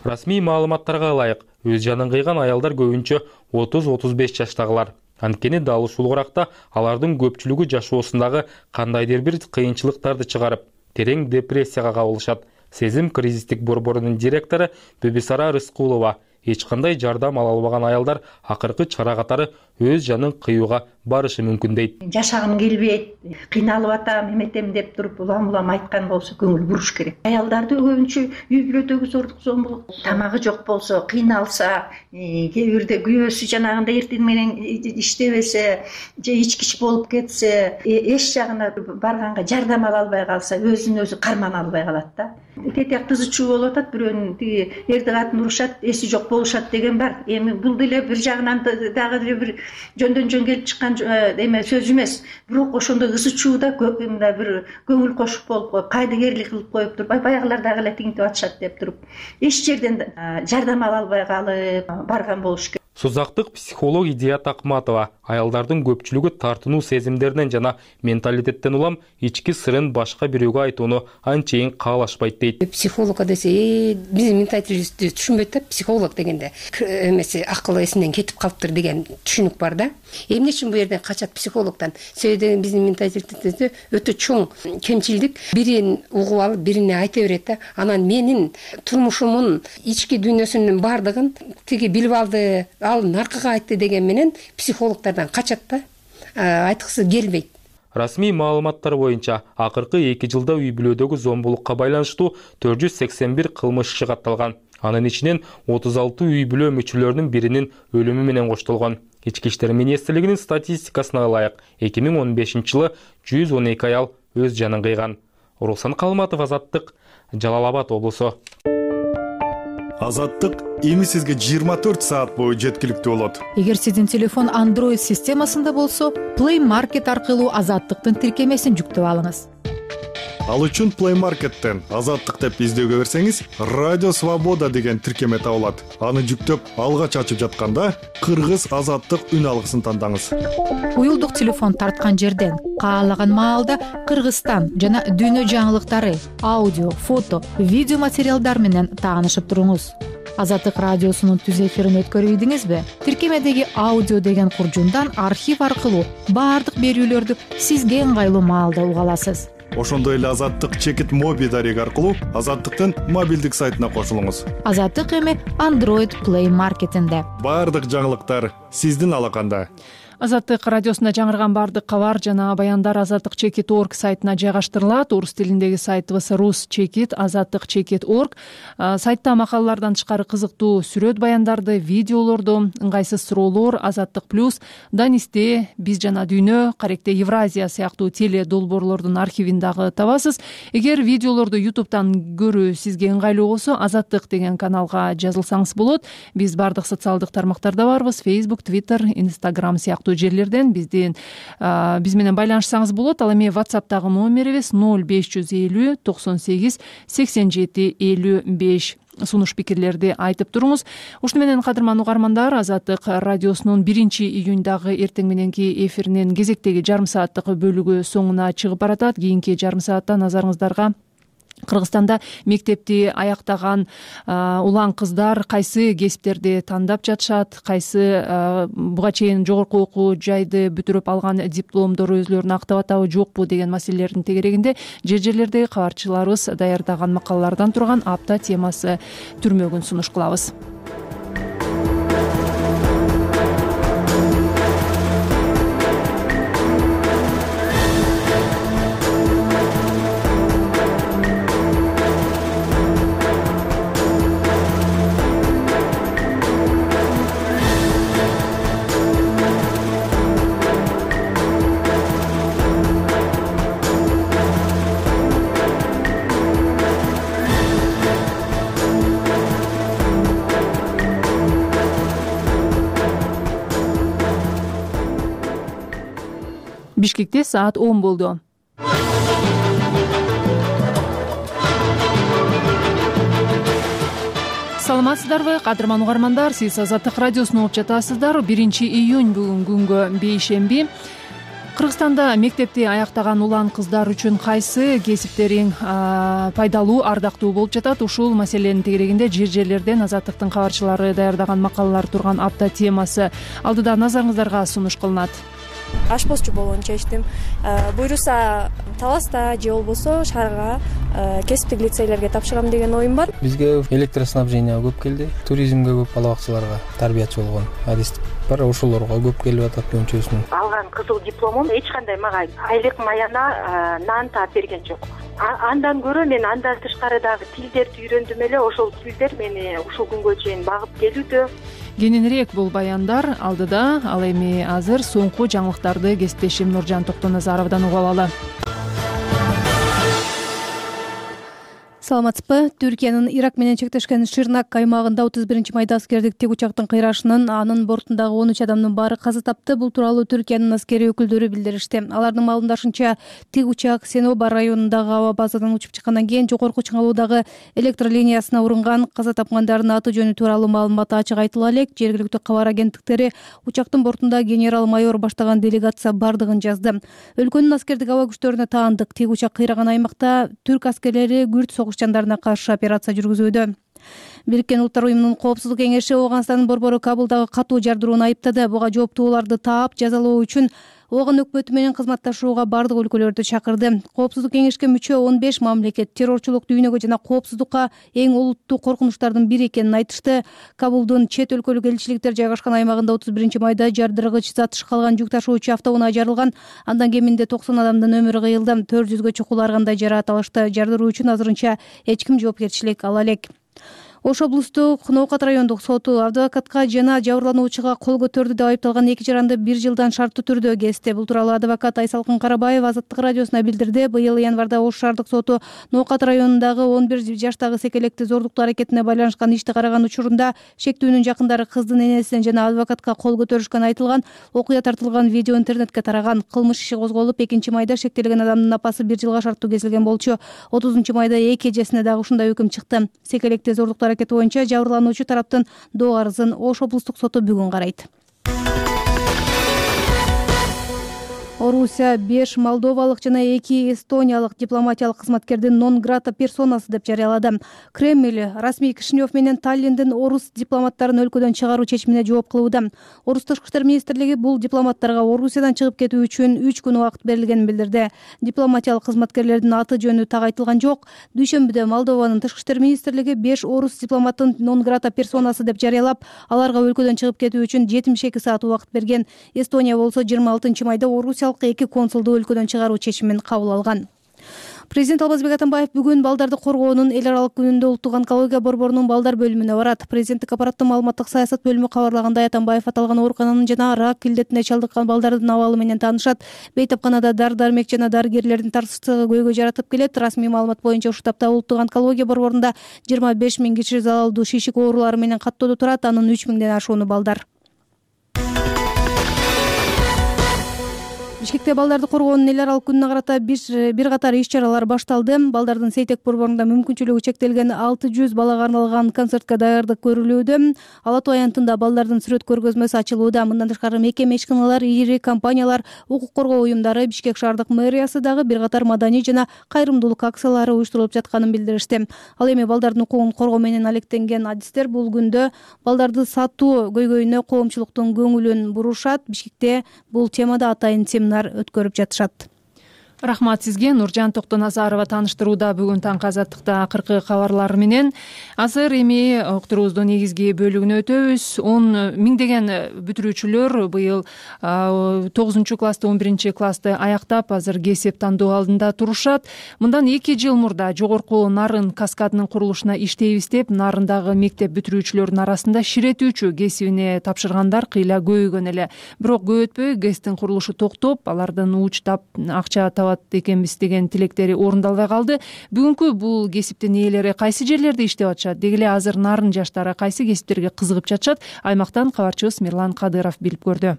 Расмий маалыматтарга ылайык, өз жанын кыйган аялдар көбүнчө 30-35 жаштагылар. Анткени дал ушул уракта алардын көпчүлүгү жашоосундагы кандайдыр бир кыйынчылыктарды чыгарып, терең депрессияга кабылышат. Сезим кризистик борборунун директору Бебисара Рыскулова эч кандай жардам ала албаган аялдар акыркы чара катары өз жанын кыюуга барышы мүмкүн дейт. Жашагым келбейт, кыйналып атам, эметем деп туруп улам айткан болсо көңүл буруш керек. Аялдарды көбүнчө үй бүлөдөгү зордук зомбулук, тамагы жок болсо, кыйналса, кээ бирде күйөөсү жанагындай эртең менен иштебесе, же ичкич болуп кетсе, эч жагына барганга жардам ала албай калса, өзүн өзү кармана албай калат да. Тетек тызычуу болуп атат, бирөөнүн тиги эрди катын урушат, эси жок болушат деген бар. Эми бул деле бир жагынан дагы деле бир жөндөн жөн келип чыккан эме сөз эмес. Бирок ошондой ызычууда мындай бир көңүл кошуп болуп, кайдыгерлик кылып коюп туруп, баягылар дагы эле тиңтип атышат деп туруп, эч жерден жардам ала албай калып барган болуш керек. Сузактык психолог Идия Такматова аялдардын көпчүлүгү тартынуу сезимдеринен жана менталитеттен улам ички сырын башка бирөөгө айтууну анчейин каалашпайт дейт. Психолог десе, биздин менталитетти түшүнбөйт да, психолог дегенде эмеси акылы эсинен кетип калыптыр деген түшүнүк бар да. Эмне үчүн бу жерден качат психологдон? Себеби биздин менталитетте өтө чоң кемчилдик, бирин угуп алып, бирине айта берет да. Анан менин турмушумун ички дүйнөсүнүн бардыгын тиги билип алды, ал наркыга айтты деген менен психологдордон качат да, айткысы келбейт. Расмий маалыматтар боюнча акыркы 2 жылда үй бүлөдөгү зомбулукка байланыштуу 481 кылмыш иши катталган. Анын ичинен 36 үй бүлө мүчөлөрүнүн биринин өлүмү менен коштолгон. Ички иштер министрлигинин статистикасына ылайык 2015-жылы 112 аял өз жанын кыйган. Руслан Калматов, Азаттык, Жалал Абад облусу. Азаттык эми сизге 24 саат бою жеткиликтүү болот. Эгер сиздин телефон Android системасында болсо, Play Market аркылуу Азаттыктын тиркемесин жүктөп алыңыз. Ал үчүн Play Market'тен Азаттык деп издөөгө берсеңиз, Радио Свобода деген тиркеме табылат. Аны жүктөп, алгач ачып жатканда Кыргыз Азаттык үн алгысын тандаңыз. Уюлдук телефон тарткан жерден каалаган маалда Кыргызстан жана дүйнө жаңылыктары, аудио, фото, видео материалдар менен таанышып туруңуз. Азаттык радиосунун түз эфирин өткөрүп ийдиңизби? Тиркемедеги аудио деген куржундан архив аркылуу баардык берүүлөрдү сизге ыңгайлуу маалда уга аласыз. Ошондой эле Азаттык чекит моби дареги аркылуу Азаттыктын мобилдик сайтына кошулуңуз. Азаттык эми Android Play Market'инде. Баардык жаңылыктар сиздин алаканда. Азаттык радиосунда жаңырган баардык кабар жана баяндар Азаттык Чекит.org сайтына жайгаштырылат. Орус тилиндеги сайтыбыз Rus Чекит, Азаттык Чекит.org. Сайтта макалалардан тышкары кызыктуу сүрөт баяндарды, видеолорду, ыңгайсыз суроолор, Азаттык плюс, Данисте, Биз жана дүйнө, Каректе Евразия сыяктуу теле долбоорлордун архивин дагы табасыз. Эгер видеолорду YouTube'дан көрүү сизге ыңгайлуу болсо, Азаттык деген каналга жазылсаңыз болот. Биз баардык социалдык тармактарда барбыз: Facebook, Twitter, Instagram сыяктуу жерлерден биз менен байланышсаңыз болот. Ал эми WhatsApp'тагы номерибиз 0550 98 87 55. Сунуш пикирлерди айтып туруңуз. Ушуну менен кадырман угармандар, Азаттык радиосунун 1-июндагы эртең мененки эфиринин кезектеги жарым сааттык бөлүгү соңуна чыгып баратат. Кийинки жарым саатта назарыңыздарга Кыргызстанда мектепти аяктаган улан кыздар кайсы кесиптерди тандап жатышат, кайсы буга чейин жогорку окуу жайды бүтүрүп алган дипломдору өзүлөрүн актап атабы жокпу деген маселелердин тегерегинде жер-жерлердеги кабарчыларыбыз даярдаган макалалардан турган апта темасы түрмөгүн сунуш кылабыз. Бишкекте саат 10 болду. Саламатсыздарбы, кадырман угармандар? Сиз Азаттык радиосун угуп жатасыздар. 1-июнь бүгүн күнгө бейшемби. Кыргызстанда мектепти аяктаган улан кыздар үчүн кайсы кесиптериң пайдалуу, ардактуу болуп жатат? Ушул маселенин тегерегинде жер-жерлерден Азаттыктын кабарчылары даярдаган макалалар турган апта темасы алдыда назарыңыздарга сунуш кылынат. Ашпозчу болгон чечтим. Буйруса Таласта же болбосо шаарга кесиптик лицейлерге тапшырам деген оюм бар. Бизге электроснабжение көп келди. Туризмге көп, бала бакчаларга тарбиячы болгон адистик бар. Ошолорго көп келип атат көбүнчөсүнүн. Алган кызыл дипломум эч кандай мага айлык маяна нан таап берген жок. Андан көрө мен андан тышкарыдагы тилдерди үйрөндүм эле. Ошол тилдер мени ушул күнгө чейин багып келүүдө. Кененирээк бул баяндар алдыда, ал эми азыр соңку жаңылыктарды кесиптешим Нуржан Токтоназаровдон угуп алалы. Саламатсызбы? Түркиянын Ирак менен чектешкен Ширнак аймагында 31 майда аскердик тик учактын кыйрашынан анын бортундагы 13 адамдын баары каза тапты. Бул тууралуу Түркиянын аскери өкүлдөрү билдиришти. Алардын маалымдашынча, тик учак Сеноба районундагы аба базадан учуп чыккандан кийин жогорку чыңалуудагы электр линиясына урунган. Каза тапкандардын аты жөнү тууралуу маалымат ачык айтыла элек. Жергиликтүү кабар агенттиктери учактын бортунда генерал-майор баштаган делегация бардыгын жазды. Өлкөнүн аскердик аба күчтөрүнө таандык. Тик учак кыйраган аймакта түрк аскерлери күрд жандарына каршы операция жүргүзүүдө. Бириккен Улуттар уюмунун Коопсуздук кеңеши Ооганстандын борбору Кабулдагы катуу жардырууну айыптады. Буга жооптууларды таап, жазалоо үчүн Ооган өкмөтү менен кызматташууга бардык өлкөлөрдү чакырды. Коопсуздук кеңешке мүчө 15 мамлекет террорчулук, дүйнөгө жана коопсуздукка эң олуттуу коркунучтардын бири экенин айтышты. Кабулдун чет өлкөлүк элчиликтер жайгашкан аймагында 31 майда жардыргыч зат калган жүк ташуучу автоунаа жарылган. Андан кеминде 90 адамдын өмүрү кыйылды. 400гө чукулар кандай жараат алышты. Жардыруу үчүн азырынча эч ким жоопкерчилик ала элек. Ош облустук Ноокат райондук соту адвокатка жана жабырлануучуга кол көтөрдү деп айыпталган 2 жаранды 1 жылдан шарттуу түрдө кести. Бул тууралуу адвокат Айсалкын Карабаев Азаттык радиосуна билдирди. Быйыл январда Ош шаардык соту Ноокат районундагы 11 жаштагы секелекти зордуктуу аракетине байланышкан ишти караган учурунда шектүүнүн жакындары кыздын энесинен жана адвокатка кол көтөрүшкөн айтылган. Окуя тартылган видео интернетке тараган. Кылмыш иши козголуп, 2-майда шектелген адамдын апасы 1 жылга шарттуу кесилген болчу. 30-майда эки эжесине дагы ушундай өкүм чыкты. Секелекти зордуктуу аракети боюнча жабырлануучу тараптын доо арызын Ош облустук соту бүгүн карайт. Орусия 5 молдовалык жана 2 эстониялык дипломатиялык кызматкердин нон грата персонасы деп жарыялады. Кремль расмий Кишинев менен Таллиндин орус дипломаттарын өлкөдөн чыгаруу чечимине жооп кылууда. Орус тышкы иштер министрлиги бул дипломаттарга Орусиядан чыгып кетүү үчүн 3 күн убакыт берилгенин билдирди. Дипломатиялык кызматкерлердин аты жөнү так айтылган жок. Дүйшөмбүдө Молдованын тышкы иштер министрлиги 5 орус дипломаттын нон грата персонасы деп жарыялап, аларга өлкөдөн чыгып кетүү үчүн 72 саат убакыт берген. Эстония болсо 26-майда Орусия 2 консулду өлкөдөн чыгаруу чечимин кабыл алган. Президент Албазбек Атамбаев бүгүн балдарды коргоонун эл аралык күнүндө Улуттук онкология борборунун балдар бөлүмүнө барат. Президенттик аппараттын маалыматтык саясат бөлүмү кабарлагандай, Атамбаев аталган оорукананын жана рак илдетине чалдыккан балдардын абалы менен таанышат. Бейтапканада дары-дармек жана дарыгерлердин тарсыздыгы көйгөй жаратып келет. Расмий маалымат боюнча ушул тапта Улуттук онкология борборунда 25 000 киши залалдуу шишик оорулары менен каттоодо турат. Анын 3 000ден ашууну балдар. Бишкекте балдарды коргоонун эл аралык күнүнө карата бир катар иш чаралар башталды. Балдардын Сейтек борборунда мүмкүнчүлүгү чектелген 600 балага арналган концертке даярдык көрүлүүдө. Ала Тоо аянтында балдардын сүрөт көргөзмөсү ачылууда. Мындан тышкары мекеме ишканалар, ири компаниялар, укук коргоо уюмдары, Бишкек шаардык мэриясы дагы бир катар маданий жана кайрымдуулук акциялары уюштурулуп жатканын билдиришти. Ал эми балдардын укугун коргоо менен алектенген адистер бул күндө балдарды сатуу көйгөйүнө коомчулуктун көңүлүн бурушат. Бишкекте бул темада атайын семинар өткөрүп жатышат. Рахмат сизге. Нуржан Токтоназарова тааныштырууда бүгүн таңкы Азаттыкта акыркы кабарлар менен. Азыр эми уктуруубуздун негизги бөлүгүнө өтөбүз. 10 миңдеген бүтүрүүчүлөр быйыл 9-классты 11-классты аяктап азыр кесип тандоо алдында турушат. Мындан 2 жыл мурда жогорку Нарын каскадынын курулушуна иштейбиз деп Нарындагы мектеп бүтүрүүчүлөрүнүн арасында ширетүүчү кесибине тапшыргандар кыйла көбөйгөн эле. Бирок көп өтпөй ГЭСтин курулушу токтоп, алардын уучтап акча табат экенбиз деген тилектери орундалбай калды. Бүгүнкү бул кесиптин ээлери кайсы жерлерде иштеп атышат? Деги эле азыр Нарын жаштары кайсы кесиптерге кызыгып жатышат? Аймактан кабарчыбыз Мирлан Кадыров билип көрдү.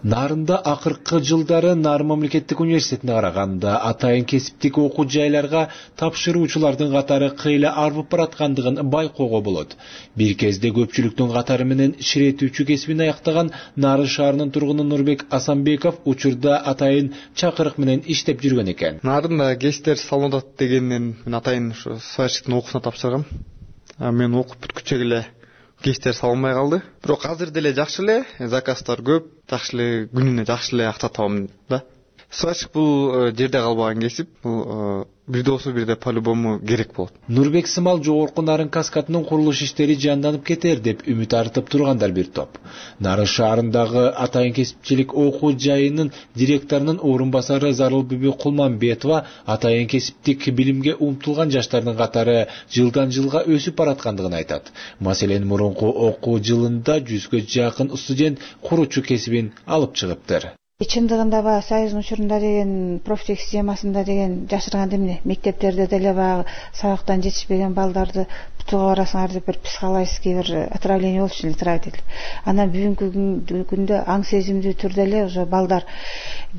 Нарында акыркы жылдары Нарын мамлекеттик университетине караганда атайын кесиптик окуу жайларга тапшыруучулардын катары кыйла арбып бараткандыгын байкоого болот. Бир кезде көпчүлүктүн катары менен ширетүүчү кесибин аяктаган Нарын шаарынын тургуну Нурбек Асанбеков учурда атайын чакырык менен иштеп жүргөн экен. Нарында ГЭСтер салынат дегенден мен атайын ушу сварщиктин окуусуна тапшыргам. Мен окуп бүткүчө эле ГЭСтер салынбай калды. Бирок азыр деле жакшы эле, заказдар көп, жакшы эле күнүнө жакшы эле акча табам да. Сварщик бул жерде калбаган кесип, бул бирде болсо бирде по-любому керек болот. Нурбек сымал жогорку Нарын каскадынын курулуш иштери жанданып кетер деп үмүт артып тургандар бир топ. Нарын шаарындагы атайын кесипчилик окуу жайынын директорунун орун басары Зарылбүбү Кулманбетова атайын кесиптик билимге умтулган жаштардын катары жылдан жылга өсүп бараткандыгын айтат. Маселен, мурунку окуу жылында 100гө жакын студент куруучу кесибин алып чыгыптыр. Чындыгында баягы Союздун учурунда деген профтех системасында деген жашырган эмне мектептерде деле баягы сабактан жетишпеген балдарды бутууга барасыңар деп бир психологический бир отравление болчу эле травить. Анан бүгүнкү күндө аң сезимдүү түрдө эле уже балдар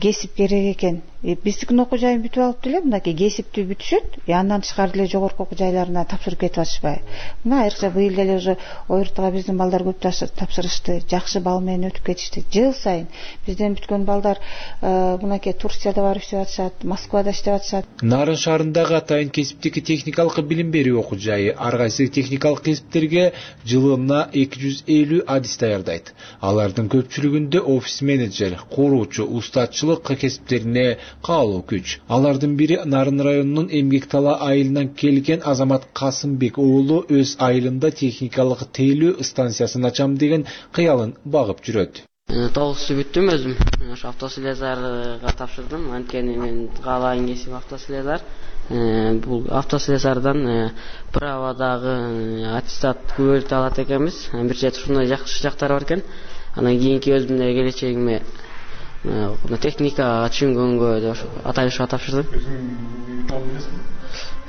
кесип керек экен. Биздикин окуу жайын бүтүп алып деле мынакей кесипти бүтүшөт, андан тышкары деле жогорку окуу жайларына тапшырып кетип атышпайбы. Мына айрыкча быйыл деле уже ОРТга биздин балдар көп тапшырышты, жакшы бал менен өтүп кетишти. Жыл сайын бизден бүткөн балдар мынакей Турцияда барып иштеп атышат, Москвада иштеп атышат. Нарын шаарындагы атайын кесиптик техникалык билим берүү окуу жайы ар кайсы техникалык кесиптерге жылына 250 адис даярдайт. Алардын көпчүлүгүндө офис менеджер, куруучу, устатчылык кесиптерине каалоо күч. Алардын бири Нарын районунун Эмгектала айылынан келген Азамат Касымбек уулу өз айылында техникалык тейлөө станциясын ачам деген кыялын багып жүрөт. 9 бүттүм өзүм. Ошо автослесарга тапшырдым. Анткени мен каалайын кесип автослесар. Бул автослесардан праводагы аттестат күбөлүктү алат экенбиз. Бир жет ушундай жакшы жактары бар экен. Анан кийинки өзүмдүн келечегиме техникага түшүнгөнгө атайын ушуга тапшырдым.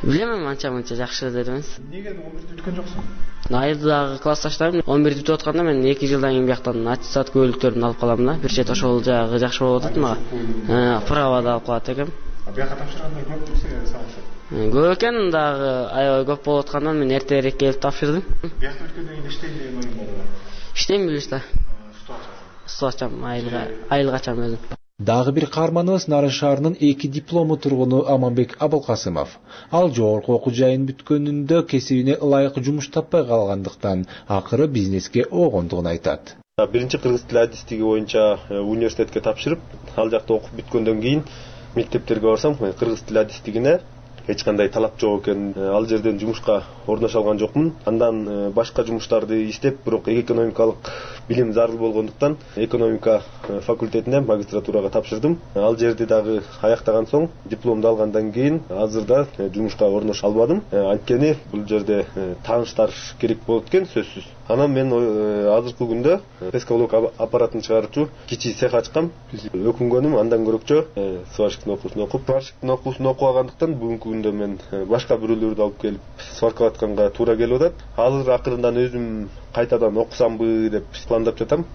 Билем, анча-мынча жакшы деп эмес. Неге 11-дө бүткөн жоксуң? Айылдагы классташтарым 11-дө бүтүп атканда мен 2 жылдан кийин бияктан аттестат күбөлүктөрүн алып калам да. Бир чет ошол жагы жакшы болуп атат мага. Правода алып калат экенм. Бияка тапшырганда көп сабак? Көп экен, дагы аябай көп болуп аткандан мен эртерээк келип тапшырдым. Биякта бүткөндөн кийин иштейм деген оюң барбы? Иштейм билиш да. Суу ачам, айылга ачам өзүм. Дагы бир каарманыбыз Нарын шаарынын 2 диплому тургуну Аманбек Абылкасымов. Ал жогорку окуу жайын бүткөнүндө кесибине ылайык жумуш таппай калгандыктан акыры бизнеске огондугун айтат. Биринчи кыргыз тили адистиги боюнча университетке тапшырып, ал жакта окуп бүткөндөн кийин мектептерге барсам, кыргыз тили адистигине эч кандай талап жок экен. Ал жерден жумушка орноша алган жокмун. Андан башка жумуштарды иштеп, бирок экономикалык билим зарыл болгондуктан экономика факультетине магистратурага тапшырдым. Ал жерди дагы аяктаган соң, дипломду алгандан кийин азырда жумушка орноша албадым. Анткени бул жерде тааныштар керек болот экен, сөзсүз. Анан мен азыркы күндө пескалок аппаратын чыгаруучу кичи цех ачкам. Өкүнгөнүм андан көрөкчө сварщиктин окуусун окуп, сварщиктин окуусун окугандан бүгүнкү күндө мен башка бирөөлөрдү алып келип сваркалап атканга туура келип атат. Азыр акырындан өзүм кайтадан окусамбы деп пландап жатам.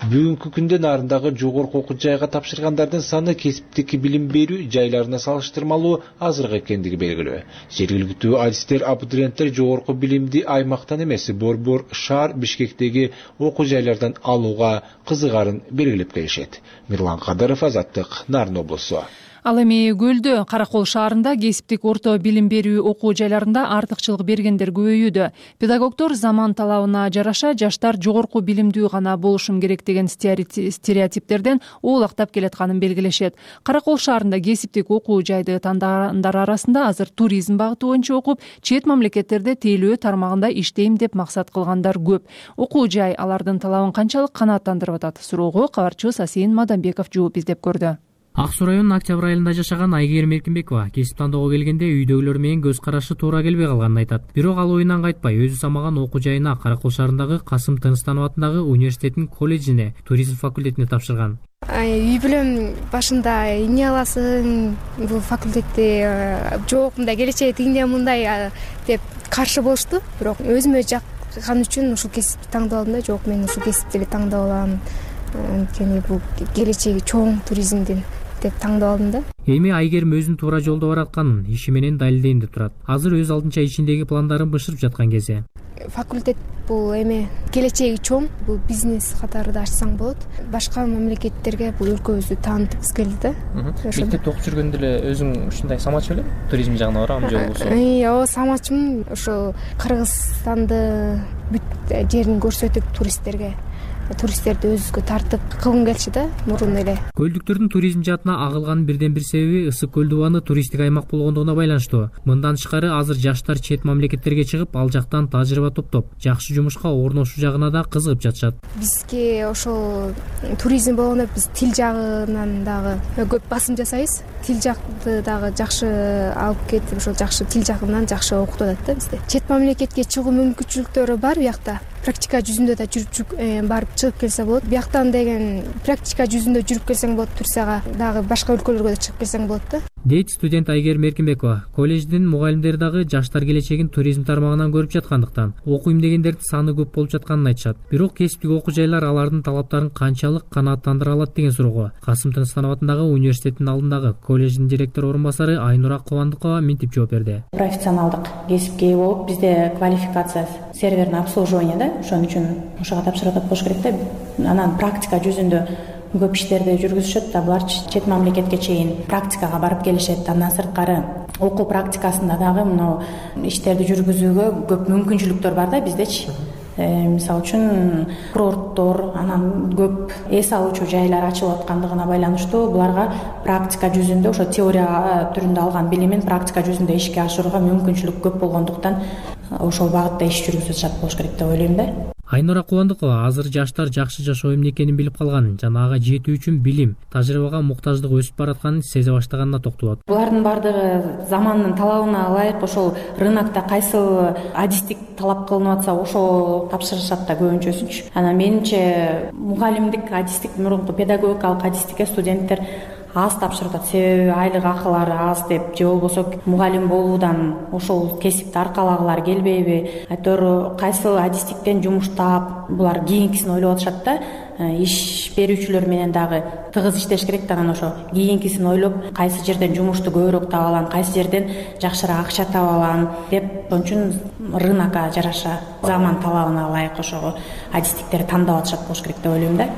Бүгүнкү күндө нарындагы жогорку окуу жайга тапшыргандардын саны кесиптик билим берүү жайларына салыштырмалуу азыраак экендиги белгилүү. Жергиликтүү адистер абитуриенттер жогорку билимди аймактан эмес, Борбор шаар Бишкектеги окуу жайлардан алууга кызыгарын белгилеп келишет. Мирлан Кадыров, Азаттык, Нарын облусу. Ал эми Көлдө, Каракол шаарында кесиптик орто билим берүү окуу жайларында артыкчылык бергендер көбөйүүдө. Педагогдор заман талабына жараша жаштар жогорку билимдүү гана болушум керек деген стереотиптерден оолактап келатканын белгилешет. Каракол шаарында кесиптик окуу жайды тандагандар арасында азыр туризм багыты боюнча окуп, чет мамлекеттерде тейлөө тармагында иштейм деп максат кылгандар көп. Окуу жай алардын талабын канчалык канааттандырып атат? Суроого кабарчыбыз Асейин Мадамбеков жооп издеп көрдү. Ак Суу районунун Октябрь айылында жашаган Айгер Меркинбекова кесип тандоого келгенде үйдөгүлөр менен көз карашы туура келбей калганын айтат. Бирок ал оюнан кайтпай өзү самаган окуу жайына Каракол шаарындагы Касым Тыныстанов атындагы университеттин колледжине, туризм факультетине тапшырган. Үй бүлөм башында эмне аласың, бул факультетти жок, мындай келечеги тигиндей мындай деп каршы болушту. Бирок өзүмө жаккан үчүн ушул кесипти тандап алдым да, жок мен ушул кесипти эле тандап алам. Анткени бул келечеги чоң туризмдин деп тандап алдым да. Эми Айгерим өзүнүн туура жолдо баратканын иши менен далилдейм деп турат. Азыр өз алдынча ичиндеги пландарын бышырып жаткан кези. Факультет бул эми келечеги чоң, бул бизнес катары да ачсаң болот. Башка мамлекеттерге бул өлкөбүздү таанытыбыз келди да. Мектепте окуп жүргөндө эле өзүң ушундай самач белем? Туризм жагына барам же болбосо? Ооба, самачмын. Ошо Кыргызстанды бүт жерин көрсөтүп туристтерди өзүбүзгө тартып кылгым келчү да мурун эле. Көлдүктөрдүн туризм жаатына агылганын бирден бир себеби Ысык көл дубаны туристтик аймак болгондугуна байланыштуу. Мындан тышкары азыр жаштар чет мамлекеттерге чыгып, ал жактан тажрыйба топтоп, жакшы жумушка орношуу жагына да кызыгып жатышат. Бизге ошол туризм болгондо биз тил жагынан дагы көп басым жасайбыз. Тил жакты дагы жакшы алып кетип, ошол жакшы тил жагынан жакшы окутуп атат да бизде. Чет мамлекетке чыгуу мүмкүнчүлүктөрү бар биякта. Практика жүзүндө да жүрүп барып чыгып келсе болот. Бияктан деген практика жүзүндө жүрүп келсең болот, Турцияга дагы башка өлкөлөргө да чыгып келсең болот да. Дейт студент Айгер Меркинбекова. Колледждин мугалимдери дагы жаштар келечегин туризм тармагынан көрүп жаткандыктан окуйм дегендердин саны көп болуп жатканын айтышат. Бирок кесиптик окуу жайлар алардын талаптарын канчалык канааттандыра алат деген суроого Касым Тыныстанов атындагы университеттин алдындагы колледждин директор орун басары Айнура Кубандыкова мынтип жооп берди. Профессионалдык кесипке болуп бизде квалификация серверный обслуживание да, ошон үчүн ошого тапшырып атат болуш керек да. Анан практика жүзүндө көп иштерди жүргүзүшөт да, булар чет мамлекетке чейин практикага барып келишет. Андан сырткары окуу практикасында дагы мына иштерди жүргүзүүгө көп мүмкүнчүлүктөр бар да биздечи. Мисалы үчүн курорттор, анан көп эс алуучу жайлар ачылып аткандыгына байланыштуу буларга практика жүзүндө ошо теория түрүндө алган билимин практика жүзүндө ишке ашырууга мүмкүнчүлүк көп болгондуктан ошол багытта иш жүргүзүп жатат болуш керек деп ойлойм да. Айнура Кубандыкова азыр жаштар жакшы жашоо эмне экенин билип калганын жана ага жетүү үчүн билим, тажрыйбага муктаждык өсүп баратканын сезе баштаганына токтолот. Булардын бардыгы замандын талабына ылайык ошол рынокто кайсыл адистик талап кылынып атса ошол тапшырышат да көбүнчөсүнчү. Анан менимче мугалимдик адистик, мурунку педагогикалык адистикке студенттер аз тапшырып атат. Себеби айлык акылары аз деп же болбосо мугалим болуудан ошол кесипти аркалагылары келбейби, айтор кайсыл адистиктен жумуш таап булар кийинкисин ойлоп атышат да. Иш берүүчүлөр менен дагы тыгыз иштеш керек да, анан ошо кийинкисин ойлоп кайсы жерден жумушту көбүрөөк таба алам, кайсы жерден жакшыраак акча таба алам деп, ошон үчүн рынокко жараша заман талабына ылайык ошого адистиктерди тандап атышат болуш керек деп ойлойм да.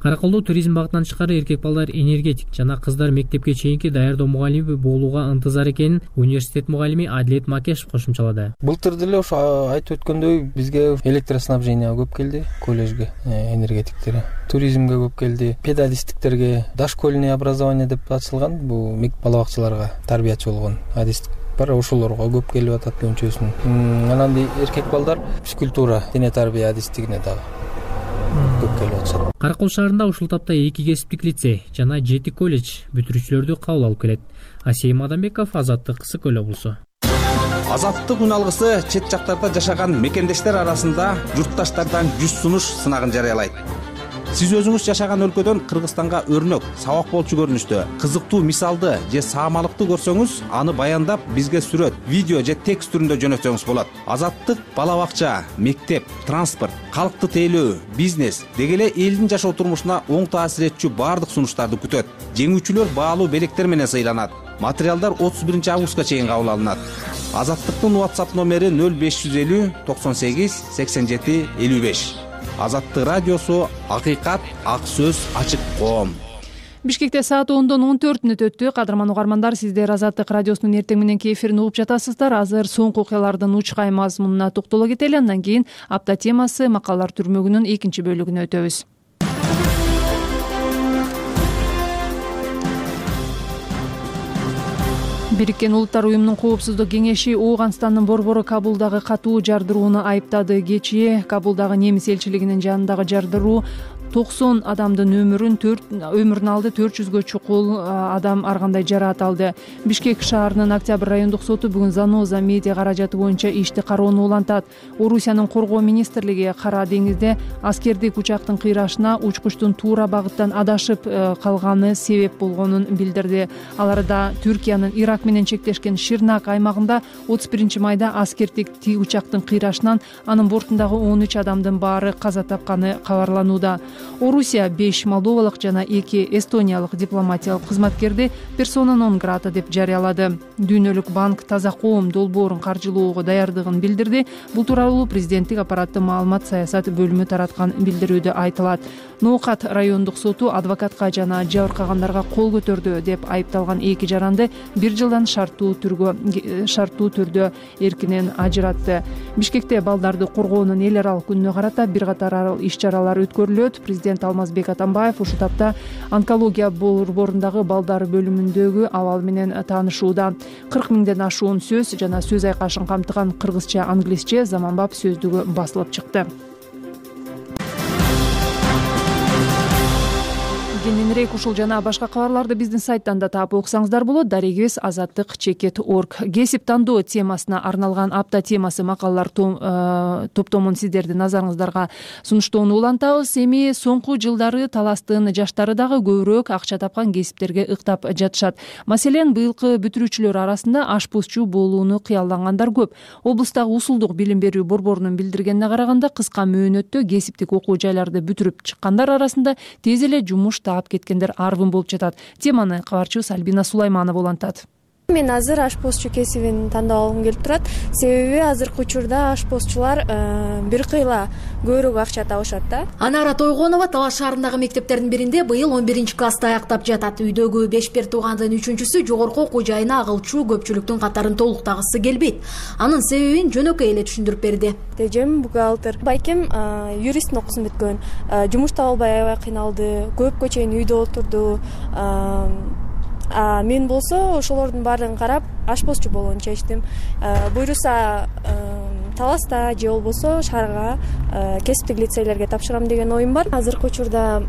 Караколдо туризм багытынан тышкары эркек балдар энергетик жана кыздар мектепке чейинки даярдоо мугалими болууга ынтызар экенин университет мугалими Адилет Макешев кошумчалады. Былтыр деле ошо айтып өткөндөй бизге электроснабжение көп келди, колледжге энергетиктери. Туризмге көп келди, педагогистиктерге, дошкольный образование деп ачылган, бул бала бакчаларга тарбиячы болгон адистик бар, ошолорго көп келип атат көбүнчөсүн. Анан эркек балдар физкультура, дене тарбия адистигине дагы көп келип атышат. Каракол шаарында ушул тапта 2 кесиптик лицей жана 7 колледж бүтүрүүчүлөрдү кабыл алып келет. Асейин Мадамбеков, Азаттык, Ысык көл облусу. Азаттык үн алгысы чет жактарда жашаган мекендештер арасында журтташтардан жүз сунуш сынагын жарыялайт. Сиз өзүңүз жашаган өлкөдөн Кыргызстанга өрнөк, сабак болчу көрүнүштө кызыктуу мисалды же саамалыкты көрсөңүз, аны баяндап бизге сүрөт, видео же текст түрүндө жөнөтсөңүз болот. Азаттык бала бакча, мектеп, транспорт, калкты тейлөө, бизнес деги эле элдин жашоо турмушуна оң таасир этчү баардык сунуштарды күтөт. Жеңүүчүлөр баалуу белектер менен сыйланат. Материалдар 31 августка чейин кабыл алынат. Азаттыктын WhatsApp номери 0550 98 87 55. Азаттык радиосу, акыйкат, ак сөз, ачык коом. Бишкекте саат 10:14 өттү. Кадырман угармандар, сиздер Азаттык радиосунун эртең мененки эфирин угуп жатасыздар. Азыр соңку окуялардын учкай мазмунуна токтоло кетели. Андан кийин апта темасы макалалар түрмөгүнүн экинчи бөлүгүнө өтөбүз. Бириккен Улуттар уюмунун коопсуздук кеңеши Ооганстандын борбору Кабулдагы катуу жардырууну айыптады. Кечээ Кабулдагы немис элчилигинин жанындагы жардыруу 90 адамдын өмүрүн алды, 400гө чукул адам ар кандай жараат алды. Бишкек шаарынын Октябрь райондук соту бүгүн Заноза медиа каражаты боюнча ишти кароону улантат. Орусиянын коргоо министрлиги Кара деңизде аскердик учактын кыйрашына учкучтун туура багыттан адашып калганы себеп болгонун билдирди. Аларда Түркиянын Ирак менен чектешкен Ширнак аймагында 31 майда аскердик учактын кыйрашынан анын бортундагы 13 адамдын баары каза тапканы кабарланууда. Орусия 5 молдовалык жана 2 эстониялык дипломатиялык кызматкерди персона нон грата деп жарыялады. Дүйнөлүк банк таза коом долбоорун каржылоого даярдыгын билдирди. Бул тууралуу президенттик аппараттын маалымат саясат бөлүмү тараткан билдирүүдө айтылат. Ноокат райондук соту адвокатка жана жабыркагандарга кол көтөрдү деп айыпталган 2 жаранды 1 жылдан шарттуу түрдө эркинен ажыратты. Бишкекте балдарды коргоонун эл аралык күнүнө карата бир катар иш-чаралар өткөрүлөт. Президент Алмазбек Атамбаев ушул тапта онкология борборундагы балдар бөлүмүндөгү абал менен таанышууда. 40 миңден ашуун сөз жана сөз айкашын камтыган кыргызча, англисче заманбап сөздүгү басылып чыкты. Кененирээк ушул жана башка кабарларды биздин сайттан да таап окусаңыздар болот. Дарегибиз azattik.org. Кесип тандоо темасына арналган апта темасы макалалар топтомун сиздердин назарыңыздарга сунуштоону улантабыз. Эми соңку жылдары таластын жаштары дагы көбүрөөк акча тапкан кесиптерге ыктап жатышат. Маселен, быйылкы бүтүрүүчүлөр арасында ашпозчу болууну кыялдангандар көп. Облустагы Усулдук билим берүү борборунун билдиргенине караганда, кыска мөөнөттө кесиптик окуу жайларды бүтүрүп чыккандар арасында тез эле жумуш таап кеткендер арбын болуп жатат. Теманы кабарчыбыз Альбина Сулайманова улантат. Мен азыр ашпозчу кесибин тандап алгым келип турат. Себеби азыркы учурда ашпозчулар бир кыйла көбүрөөк акча табышат да. Анара Тойгонова Талаш шаарындагы мектептердин биринде быйыл 11-классты аяктап жатат. Үйдөгү 5 туугандын 3-сү жогорку окуу жайына агылчу көпчүлүктүн катарын толуктагысы келбейт. Анын себебин жөнөкөй эле түшүндүрүп берди. Эжем бухгалтер, байкем юристтин окуусун бүткөн. Жумуш таба албай аябай кыйналды. Көпкө чейин үйдө отурду. Мен болсо ошолордун баардыгын карап ашпозчу болууну чечтим. Буйруса Таласта же болбосо шаарга кесиптик лицейлерге тапшырам деген оюм бар. Азыркы учурда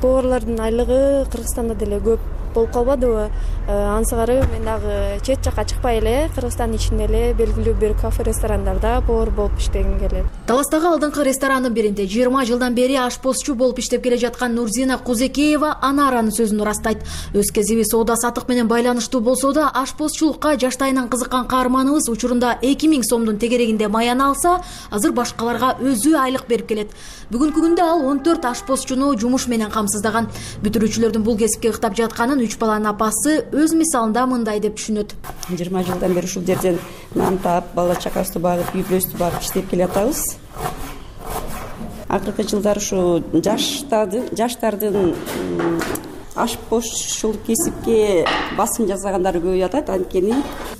поварлардын айлыгы Кыргызстанда деле көп болуп калбадыбы? Ансыгары мен дагы чет жакка чыкпай эле Кыргызстандын ичинде эле белгилүү бир кафе ресторандарда повар болуп иштегим келет. Таластагы алдыңкы ресторанын биринде 20 жылдан бери ашпозчу болуп иштеп келе жаткан Нурзина Кузекеева Анаранын сөзүн ырастайт. Өз кезиби соода сатык менен байланыштуу болсо да, ашпозчулукка жаштайынан кызыккан каарманыбыз учурунда 2000 сомдун тегерегинде маяны алса, азыр башкаларга өзү айлык берип келет. Бүгүнкү күндө ал 14 ашпозчуну жумуш менен камсыздаган. Бүтүрүүчүлөрдүн бул кесипке ыктап жатканын 3 баланын апасы өз мисалында мындай деп түшүнөт. 20 жылдан бери ушул жерден нан таап, бала чакабызды багып, үй бүлөбүздү багып иштеп келатабыз. Акыркы жылдары ушу жаштардын ашпозчулук кесипке басым жасагандары көбөйүп атат. Анткени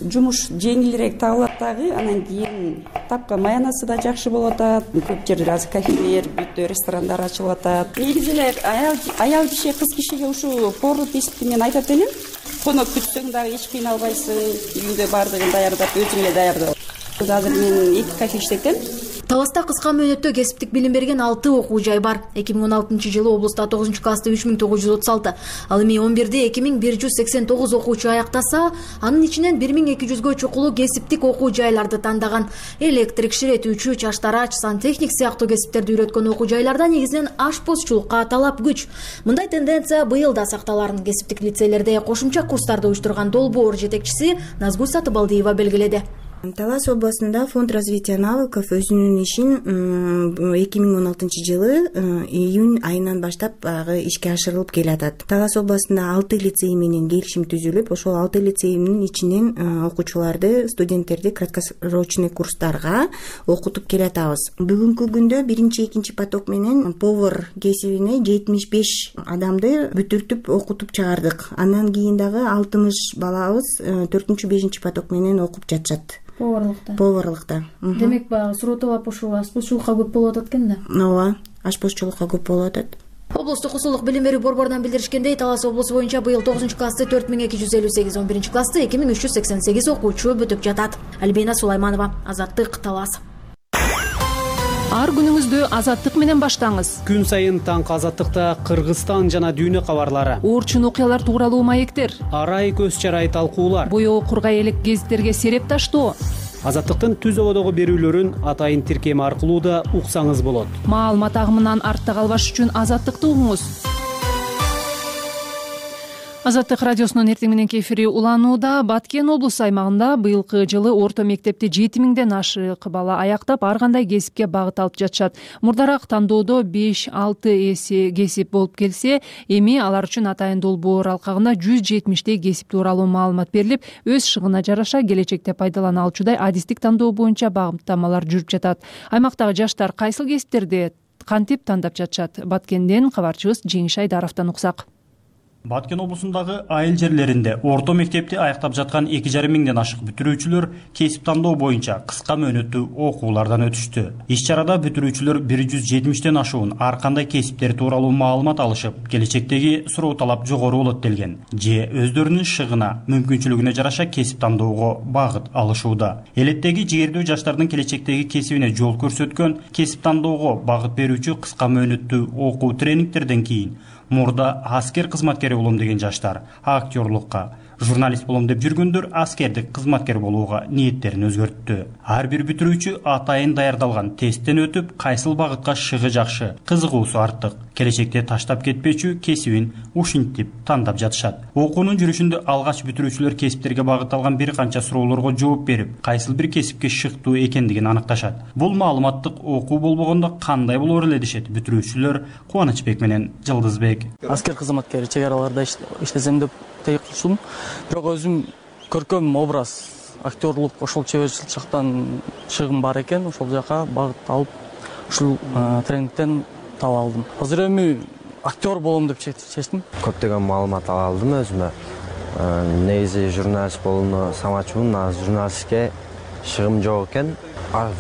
жумуш жеңилирээк табылат дагы, анан кийин тапкан маянасы да жакшы болуп атат. Көп жерде азыр кафелер, бүттө ресторандар ачылып атат. Негизи эле аял киши, кыз кишиге ушу поварлык кесипти мен айтат элем. Конок күтсөң дагы эч кыйналбайсың, үйүндө баардыгын даярдап, өзүң эле даярдап. Азыр мен 2 кафе иштетем. Таласта кыска мөөнөттө кесиптик билим берген 6 окуу жай бар. 2016-жылы облуста 9 классты 3936, ал эми 11-де 2189 окуучу аяктаса, анын ичинен 1200гө чукулуу кесиптик окуу жайларды тандаган. Электрик, ширетүүчү, чаштарач, сантехник сыяктуу кесиптерди үйрөткөн окуу жайларда негизинен ашпозчулукка талап күч. Мындай тенденция быйыл да сакталарын кесиптик лицейлерде кошумча курстарды уюштурган Долбоор жетекчиси Назгуль Сатыбалдиева белгиледи. Талас областында фонд развития навыков өзүнүн ишин 2016-жылы июнь айынан баштап ишке ашырылып келатат. Талас областында 6 лицей менен келишим түзүлүп, ошол 6 лицейдин ичинен окуучуларды, студенттерди краткосрочный курстарга окутуп келатабыз. Бүгүнкү күндө 1-2 поток менен повар кесибине 75 адамды бүтүртүп окутуп чыгардык. Андан кийин дагы 60 балабыз 4-5 поток менен окуп жатышат. Поварлыкта. Демек, баягы суроо талап ушул ашпозчулукка көп болуп атат экен да. Ооба, ашпозчулукка көп болуп атат. Облустук усулдук билим берүү борборунан билдиришкендей, Талас облусу боюнча быйыл 9-классты 4258, 11-классты 2388 окуучу бүтүп жатат. Альбина Сулайманова, Азаттык, Талас. Ар күнүңүздү Азаттык менен баштаңыз. Күн сайын таңкы Азаттыкта Кыргызстан жана дүйнө кабарлары, оорчун окуялар тууралуу маектер, арай көз чарай талкуулар, боёо кургай элек гезиттерге сереп таштоо. Азаттыктын түз ободогу берүүлөрүн атайын тиркеме аркылуу да уксаңыз болот. Маалымат агымынан артта калбаш үчүн Азаттыкты угуңуз. Азаттык радиосунун эртең мененки эфири уланууда. Баткен облусу аймагында быйылкы жылы орто мектепти 7000ден ашык бала аяктап, ар кандай кесипке багыт алып жатышат. Мурдараак тандоодо 5-6 эсе кесип болуп келсе, эми алар үчүн атайын долбоор алкагында 170 кесип тууралуу маалымат берилип, өз шыгына жараша келечекте пайдалана алчудай адистик тандоо боюнча багыттамалар жүрүп жатат. Аймактагы жаштар кайсыл кесиптерди кантип тандап жатышат? Баткенден кабарчыбыз Жеңиш Айдаровдон уксак. Баткен облусундагы айыл жерлеринде орто мектепти аяктап жаткан 2,5 миңден ашык бүтүрүүчүлөр кесип тандоо боюнча кыска мөөнөттүү окуулардан өтүштү. Иш-чарада бүтүрүүчүлөр 170тен ашуун ар кандай кесиптер тууралуу маалымат алышып, келечектеги суроо талап жогору болот делген, же өздөрүнүн шыгына, мүмкүнчүлүгүнө жараша кесип тандоого багыт алышууда. Элеттеги жигердүү жаштардын келечектеги кесибине жол көрсөткөн кесип тандоого багыт берүүчү кыска мөөнөттүү окуу тренингтерден кийин мурда аскер кызматкери болом деген жаштар актерлукка, журналист болом деп жүргөндөр аскердик кызматкер болууга ниеттерин өзгөрттү. Ар бир бүтүрүүчү атайын даярдалган тесттен өтүп, кайсыл багытка шыгы жакшы, кызыгуусу артык, келечекте таштап кетпечү кесибин ушинтип тандап жатышат. Окуунун жүрүшүндө алгач бүтүрүүчүлөр кесиптерге багытталган бир канча суроолорго жооп берип, кайсыл бир кесипке шыктуу экендигин аныкташат. Бул маалыматтык окуу болбогондо кандай болор эле дешет бүтүрүүчүлөр Кубанычбек менен Жылдызбек. Аскер кызматкери чек араларда иштесем деп тейик кылышым. Бирок өзүм көркөм образ, актерлук, ошол чеберчилик жактан шыгым бар экен, ошол жака багыт алып, ушул тренингден таап алдым. Азыр эми актер болом деп чечтим. Көптөгөн маалымат ала алдым өзүмө. Негизи журналист болууну самачумун, азыр журналистке шыгым жок экен.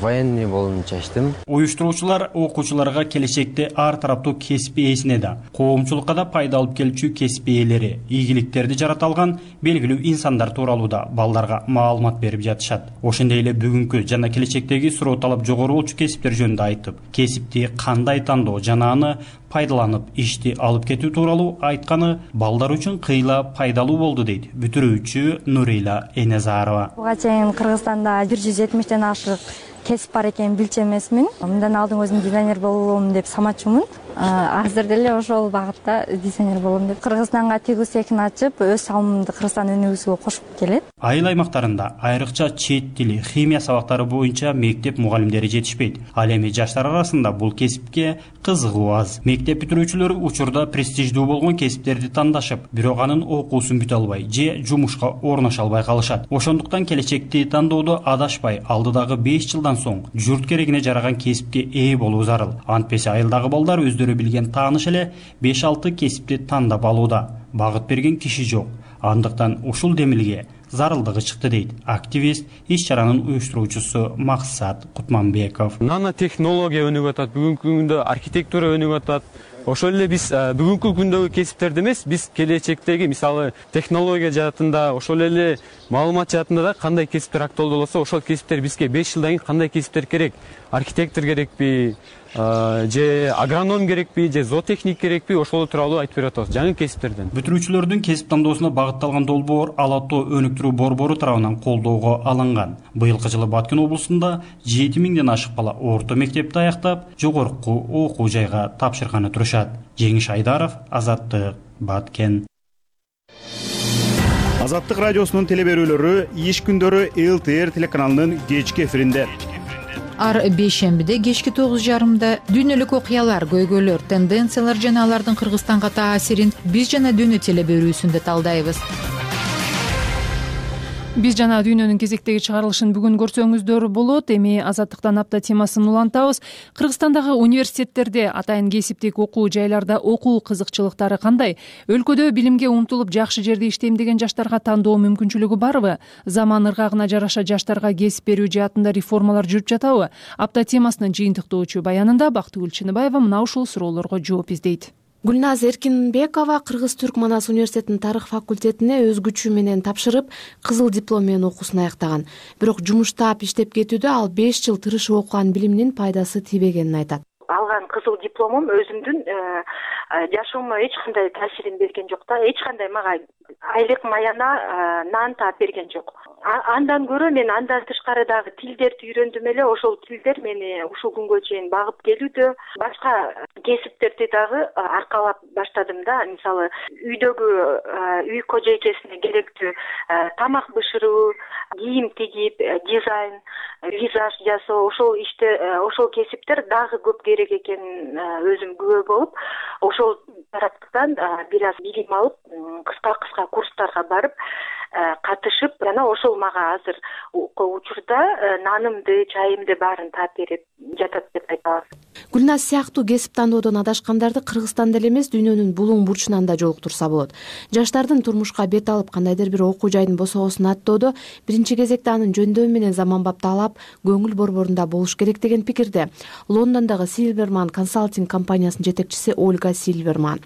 Военный болууну чечтим. Уюштуруучулар окуучуларга келечекте ар тараптуу кесип ээсине да, коомчулукка да пайда алып келчү кесип ээлери, ийгиликтерди жарата алган белгилүү инсандар тууралуу да балдарга маалымат берип жатышат. Ошондой эле бүгүнкү жана келечектеги суроо талап жогору болчу кесиптер жөнүндө айтып, кесипти кандай тандоо жана аны пайдаланып ишти алып кетүү тууралуу айтканы балдар үчүн кыйла пайдалуу болду дейт бүтүрүүчү Нурила Энезарова. Буга чейин Кыргызстанда 170тен ашык кесип бар экенин билчү эмесмин. Мындан алдын өзүм дизайнер болом деп самачумун. Азыр деле ошол багытта дизайнер болом деп Кыргызстанга тигүү цехин ачып, өз салымымды Кыргызстан өнүгүүсүгө кошуп келет. Айыл аймактарында айрыкча чет тили, химия сабактары боюнча мектеп мугалимдери жетишпейт. Ал эми жаштар арасында бул кесипке кызыгуу аз. Мектеп бүтүрүүчүлөр учурда престиждүү болгон кесиптерди тандашып, бирок анын окуусун бүтө албай же жумушка орношо албай калышат. Ошондуктан келечекти тандоодо адашпай, алдыдагы 5 жылдан соң журт керегине жараган кесипке ээ болуу зарыл. Антпесе айылдагы балдар өздөрү билген тааныш эле 5-6 кесипти тандап алууда. Багыт берген киши жок. Андыктан ушул демилге зарылдыгы чыкты дейт активист, иш-чаранын уюштуруучусу Максат Кутманбеков. Нано технология өнүгүп атат, бүгүнкү күндө архитектура өнүгүп атат. ошол эле биз бүгүнкү күндөгү кесиптерди эмес, биз келечектеги мисалы технология жаатында, ошол эле маалымат жаатында да кандай кесиптер актуалдуу болсо, ошол кесиптер бизге 5 жылдан кийин кандай кесиптер керек? Архитектор керекпи, же агроном керекпи, же зоотехник керекпи, ошол тууралуу айтып берип атабыз жаңы кесиптерден. Бүтүрүүчүлөрдүн кесип тандоосуна багытталган долбоор Ала Тоо өнүктүрүү борбору тарабынан колдоого алынган. Быйылкы жылы Баткен облусунда 7000ден ашык бала орто мектепти аяктап, жогорку окуу жайга тапшырганы турушат. Жеңиш Айдаров, Азаттык, Баткен. Азаттык радиосунун телеберүүлөрү иш күндөрү ЛТР телеканалынын кечки эфиринде. Ар бейшембиде кечки 9:30 дүйнөлүк окуялар, көйгөйлөр, тенденциялар жана алардын Кыргызстанга таасирин биз жана дүйнө телеберүүсүндө талдайбыз. Биз жана дүйнөнүн кезектеги чыгарылышын бүгүн көрсөңүздөр болот. Эми Азаттыктан апта темасын улантабыз. Кыргызстандагы университеттерде, атайын кесиптик окуу жайларда окуу кызыкчылыктары кандай? Өлкөдө билимге умтулуп жакшы жерде иштейм деген жаштарга тандоо мүмкүнчүлүгү барбы? Заман ыргагына жараша жаштарга кесип берүү жаатында реформалар жүрүп жатабы? Апта темасынын жыйынтыктоочу баянында Бактыгүл Чыныбаева мына ушул суроолорго жооп издейт. Гүлназ Эркинбекова Кыргыз-Түрк Манас университетинин тарых факультетине өз күчү менен тапшырып, кызыл диплом менен окуусун аяктаган. Бирок жумуштап иштеп кетүүдө ал 5 жыл тырышып окуган билиминин пайдасы тийбегенин айтат. Алган кызыл дипломум өзүмдүн жашоомо эч кандай таасирин берген жок да, эч кандай мага айлык маяна нан таап берген жок. Андан көрө мен андан тышкары дагы тилдерди үйрөндүм эле. Ошол тилдер мени ушул күнгө чейин багып келүүдө. Башка кесиптерди дагы аркалап баштадым да. Мисалы, үйдөгү үй кожойкесине керектүү тамак бышыруу, кийим тигип, дизайн, визаж жасоо, ошол иште ошол кесиптер дагы көп керек экенин өзүм күбө болуп, ошол тараптан бир аз билим алып, кыска курстарга барып катышып, жана ошол мага азыр учурда нанымды, чайымды баарын таап берип жатат деп айта алам. Гүлназ сыяктуу кесип тандоодон адашкандарды Кыргызстанда эле эмес, дүйнөнүн булуң бурчунан да жолуктурса болот. Жаштардын турмушка бет алып кандайдыр бир окуу жайдын босогосун аттоодо биринчи кезекте анын жөндөмү менен заманбап талап, көңүл борборунда болуш керек деген пикирде Лондондогу Сильверман консалтинг компаниясынын жетекчиси Ольга Сильверман.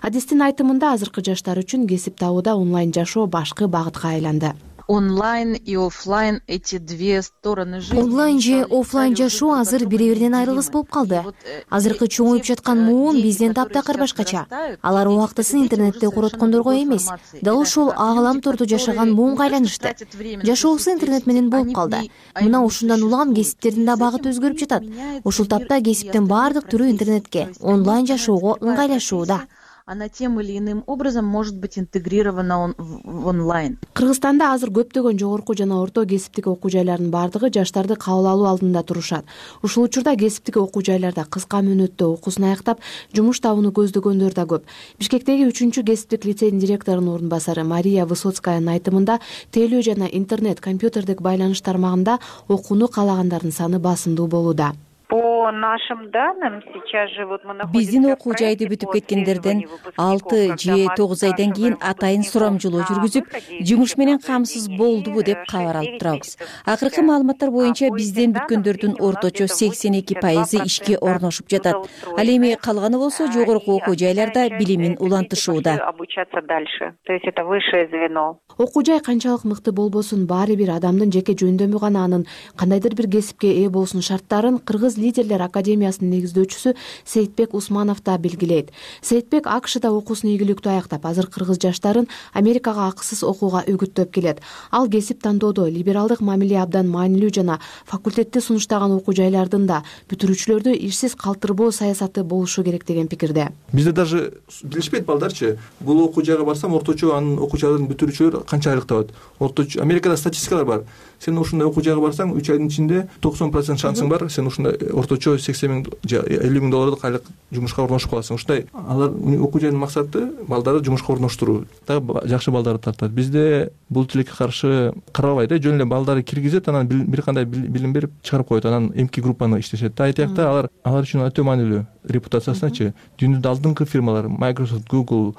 Адистин айтымында азыркы жаштар үчүн кесип табууда онлайн жашоо башкы багытка айланды. Онлайн и офлайн эти две стороны жизни. Онлайн же офлайн жашоо азыр бири-биринен айрылгыс болуп калды. Азыркы чоңоюп жаткан муун бизден таптакыр башкача. Алар убактысын интернетте короткондорго эмес, дал ушул ааламтордо жашаган муунга айланышты. Жашоосу интернет менен болуп калды. Мына ушундан улам кесиптердин да багыты өзгөрүп жатат. Ушул тапта кесиптин баардык түрү интернетке, онлайн жашоого ыңгайлашууда. Она тем или иным образом может быть интегрирована в онлайн. Кыргызстанда азыр көптөгөн жогорку жана орто кесиптик окуу жайлардын баардыгы жаштарды кабыл алуу алдында турушат. Ушул учурда кесиптик окуу жайларда кыска мөөнөттө окуусун аяктап, жумуш табууну көздөгөндөр да көп. Бишкектеги 3-чү кесиптик лицейдин директорунун орун басары Мария Высоцкаянын айтымында телөө жана интернет, компьютердик байланыш тармагында окууну каалагандардын саны басымдуу болууда. По нашим данным, сейчас же вот мы находимся. Биздин окуу жайды бүтүп кеткендерден 6 же 9 айдан кийин атайын сурамжылоо жүргүзүп, жумуш менен камсыз болдубу деп кабар алып турабыз. Акыркы маалыматтар боюнча бизден бүткөндөрдүн орточо 82% ишке орношуп жатат. Ал эми калганы болсо жогорку окуу жайларда билимин улантышууда. Обучаться дальше. То есть это высшее звено. Окуу жай канчалык мыкты болбосун, баары бир адамдын жеке жөндөмү гана анын кандайдыр бир кесипке ээ болуусунун шарттарын Кыргыз лидерлер академиясынын негиздөөчүсү Сейитбек Усманов да белгилейт. Сейитбек АКШда окуусун ийгиликтүү аяктап, азыр кыргыз жаштарын Америкага акысыз окууга үгүттөп келет. Ал кесип тандоодо либералдык мамиле абдан маанилүү жана факультетти сунуштаган окуу жайлардын да бүтүрүүчүлөрдү ишсиз калтырбоо саясаты болушу керек деген пикирде. Бизде даже билишпейт балдарчы, бул окуу жайга барсам орточо анын окуучулардын бүтүрүүчүлөр канча айлык табат. Орточо Америкада статистикалар бар. Сен ушундай окуу жайга барсаң 3 айдын ичинде 90% шансың бар, сен ушундай орточо 80 000 же 50 000 доллардык айлык жумушка орношуп каласың. Ушундай алар окуу жайдын максаты балдарды жумушка орноштуруу, дагы жакшы балдарды тартат. Бизде бул тилекке каршы карабайт, жөн эле балдарды киргизет, анан бир кандай билим берип чыгарып коет, анан эмки группаны иштешет. Айтакта алар үчүн өтө маанилүү репутациясыначы. Дүйнөдө алдыңкы фирмалар Microsoft, Google,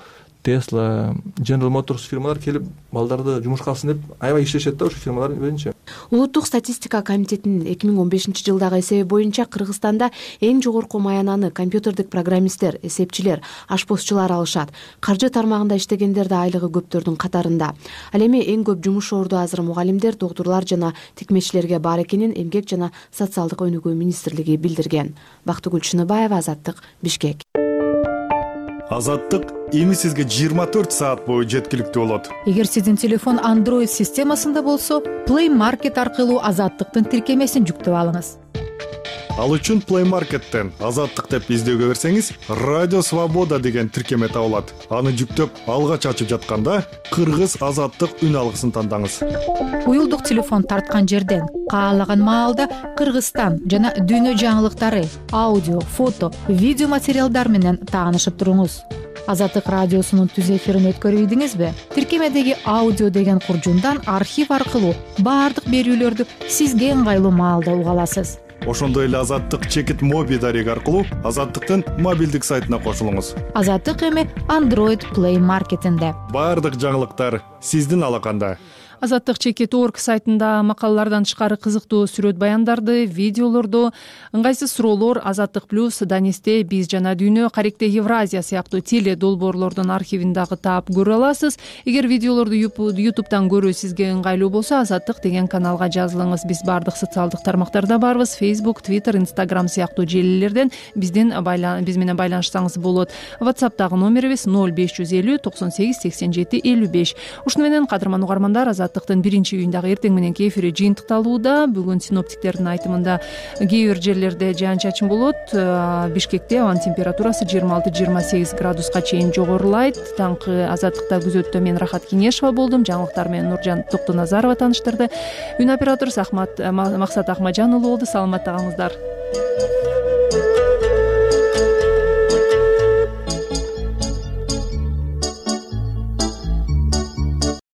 Tesla, General Motors фирмалар келип балдарды жумушка алсын деп аябай иштешет да ошо фирмалар өзүнчө. Улуттук статистика комитетинин 2015-жылдагы эсеби боюнча Кыргызстанда эң жогорку маянаны компьютердик программисттер, эсепчилер, ашпозчулар алышат. Каржы тармагында иштегендер да айлыгы көптөрдүн катарында. Ал эми эң көп жумуш орду азыр мугалимдер, доктурлар жана тикмечилерге бар экенин Эмгек жана социалдык өнүгүү министрлиги билдирген. Бактыгүл Чыныбаева, Азаттык, Бишкек. Азаттык эми сизге 24 саат бою жеткиликтүү болот. Эгер сиздин телефон Android системасында болсо, Play Market аркылуу Азаттыктын тиркемесин жүктөп алыңыз. Ал үчүн Play Market'тен Азаттык деп издөөгө берсеңиз, Радио Свобода деген тиркеме табылат. Аны жүктөп, алгач ачып жатканда Кыргыз Азаттык үн алгысын тандаңыз. Уюлдук телефон тарткан жерден каалаган маалда Кыргызстан жана дүйнө жаңылыктары, аудио, фото, видео материалдар менен таанышып туруңуз. Азаттык радиосунун түз эфирин өткөрүп ийдиңизби? Тиркемедеги аудио деген куржундан архив аркылуу баардык берүүлөрдү сизге ыңгайлуу маалда уга аласыз. Ошондой эле Азаттык чекит моби дареги аркылуу Азаттыктын мобилдик сайтына кошулуңуз. Азаттык эми Android Play Market'инде. Баардык жаңылыктар сиздин алаканда. Азаттык чекит.org сайтында макалалардан тышкары кызыктуу сүрөт баяндарды, видеолорду, ыңгайсыз суроолор, Азаттык плюс, Данисте, Биз жана Дүйнө, Каректе Евразия сыяктуу теле долбоорлордун архивин дагы таап көрө аласыз. Эгер видеолорду YouTube'дан көрүү сизге ыңгайлуу болсо, Азаттык деген каналга жазылыңыз. Биз баардык социалдык тармактарда барбыз. Facebook, Twitter, Instagram сыяктуу желилерден биз менен байланышсаңыз болот. WhatsApp'тагы номерибиз 0550 98 87 55. Ушуну менен кадырман угармандар, Азаттыктын 1-июндагы эртең мененки эфири жыйынтыкталууда. Бүгүн синоптиктердин айтымында кээ бир жерлерде жаан-чачын болот. Бишкекте абанын температурасы 26-28 градуска чейин жогорулайт. Таңкы Азаттыкта күзөттө мен Рахат Кинешова болдум. Жаңылыктар менен Нуржан Токтоназарова тааныштырды. Үн оператору Максат Ахмаджан уулу болду. Саламатта калыңыздар.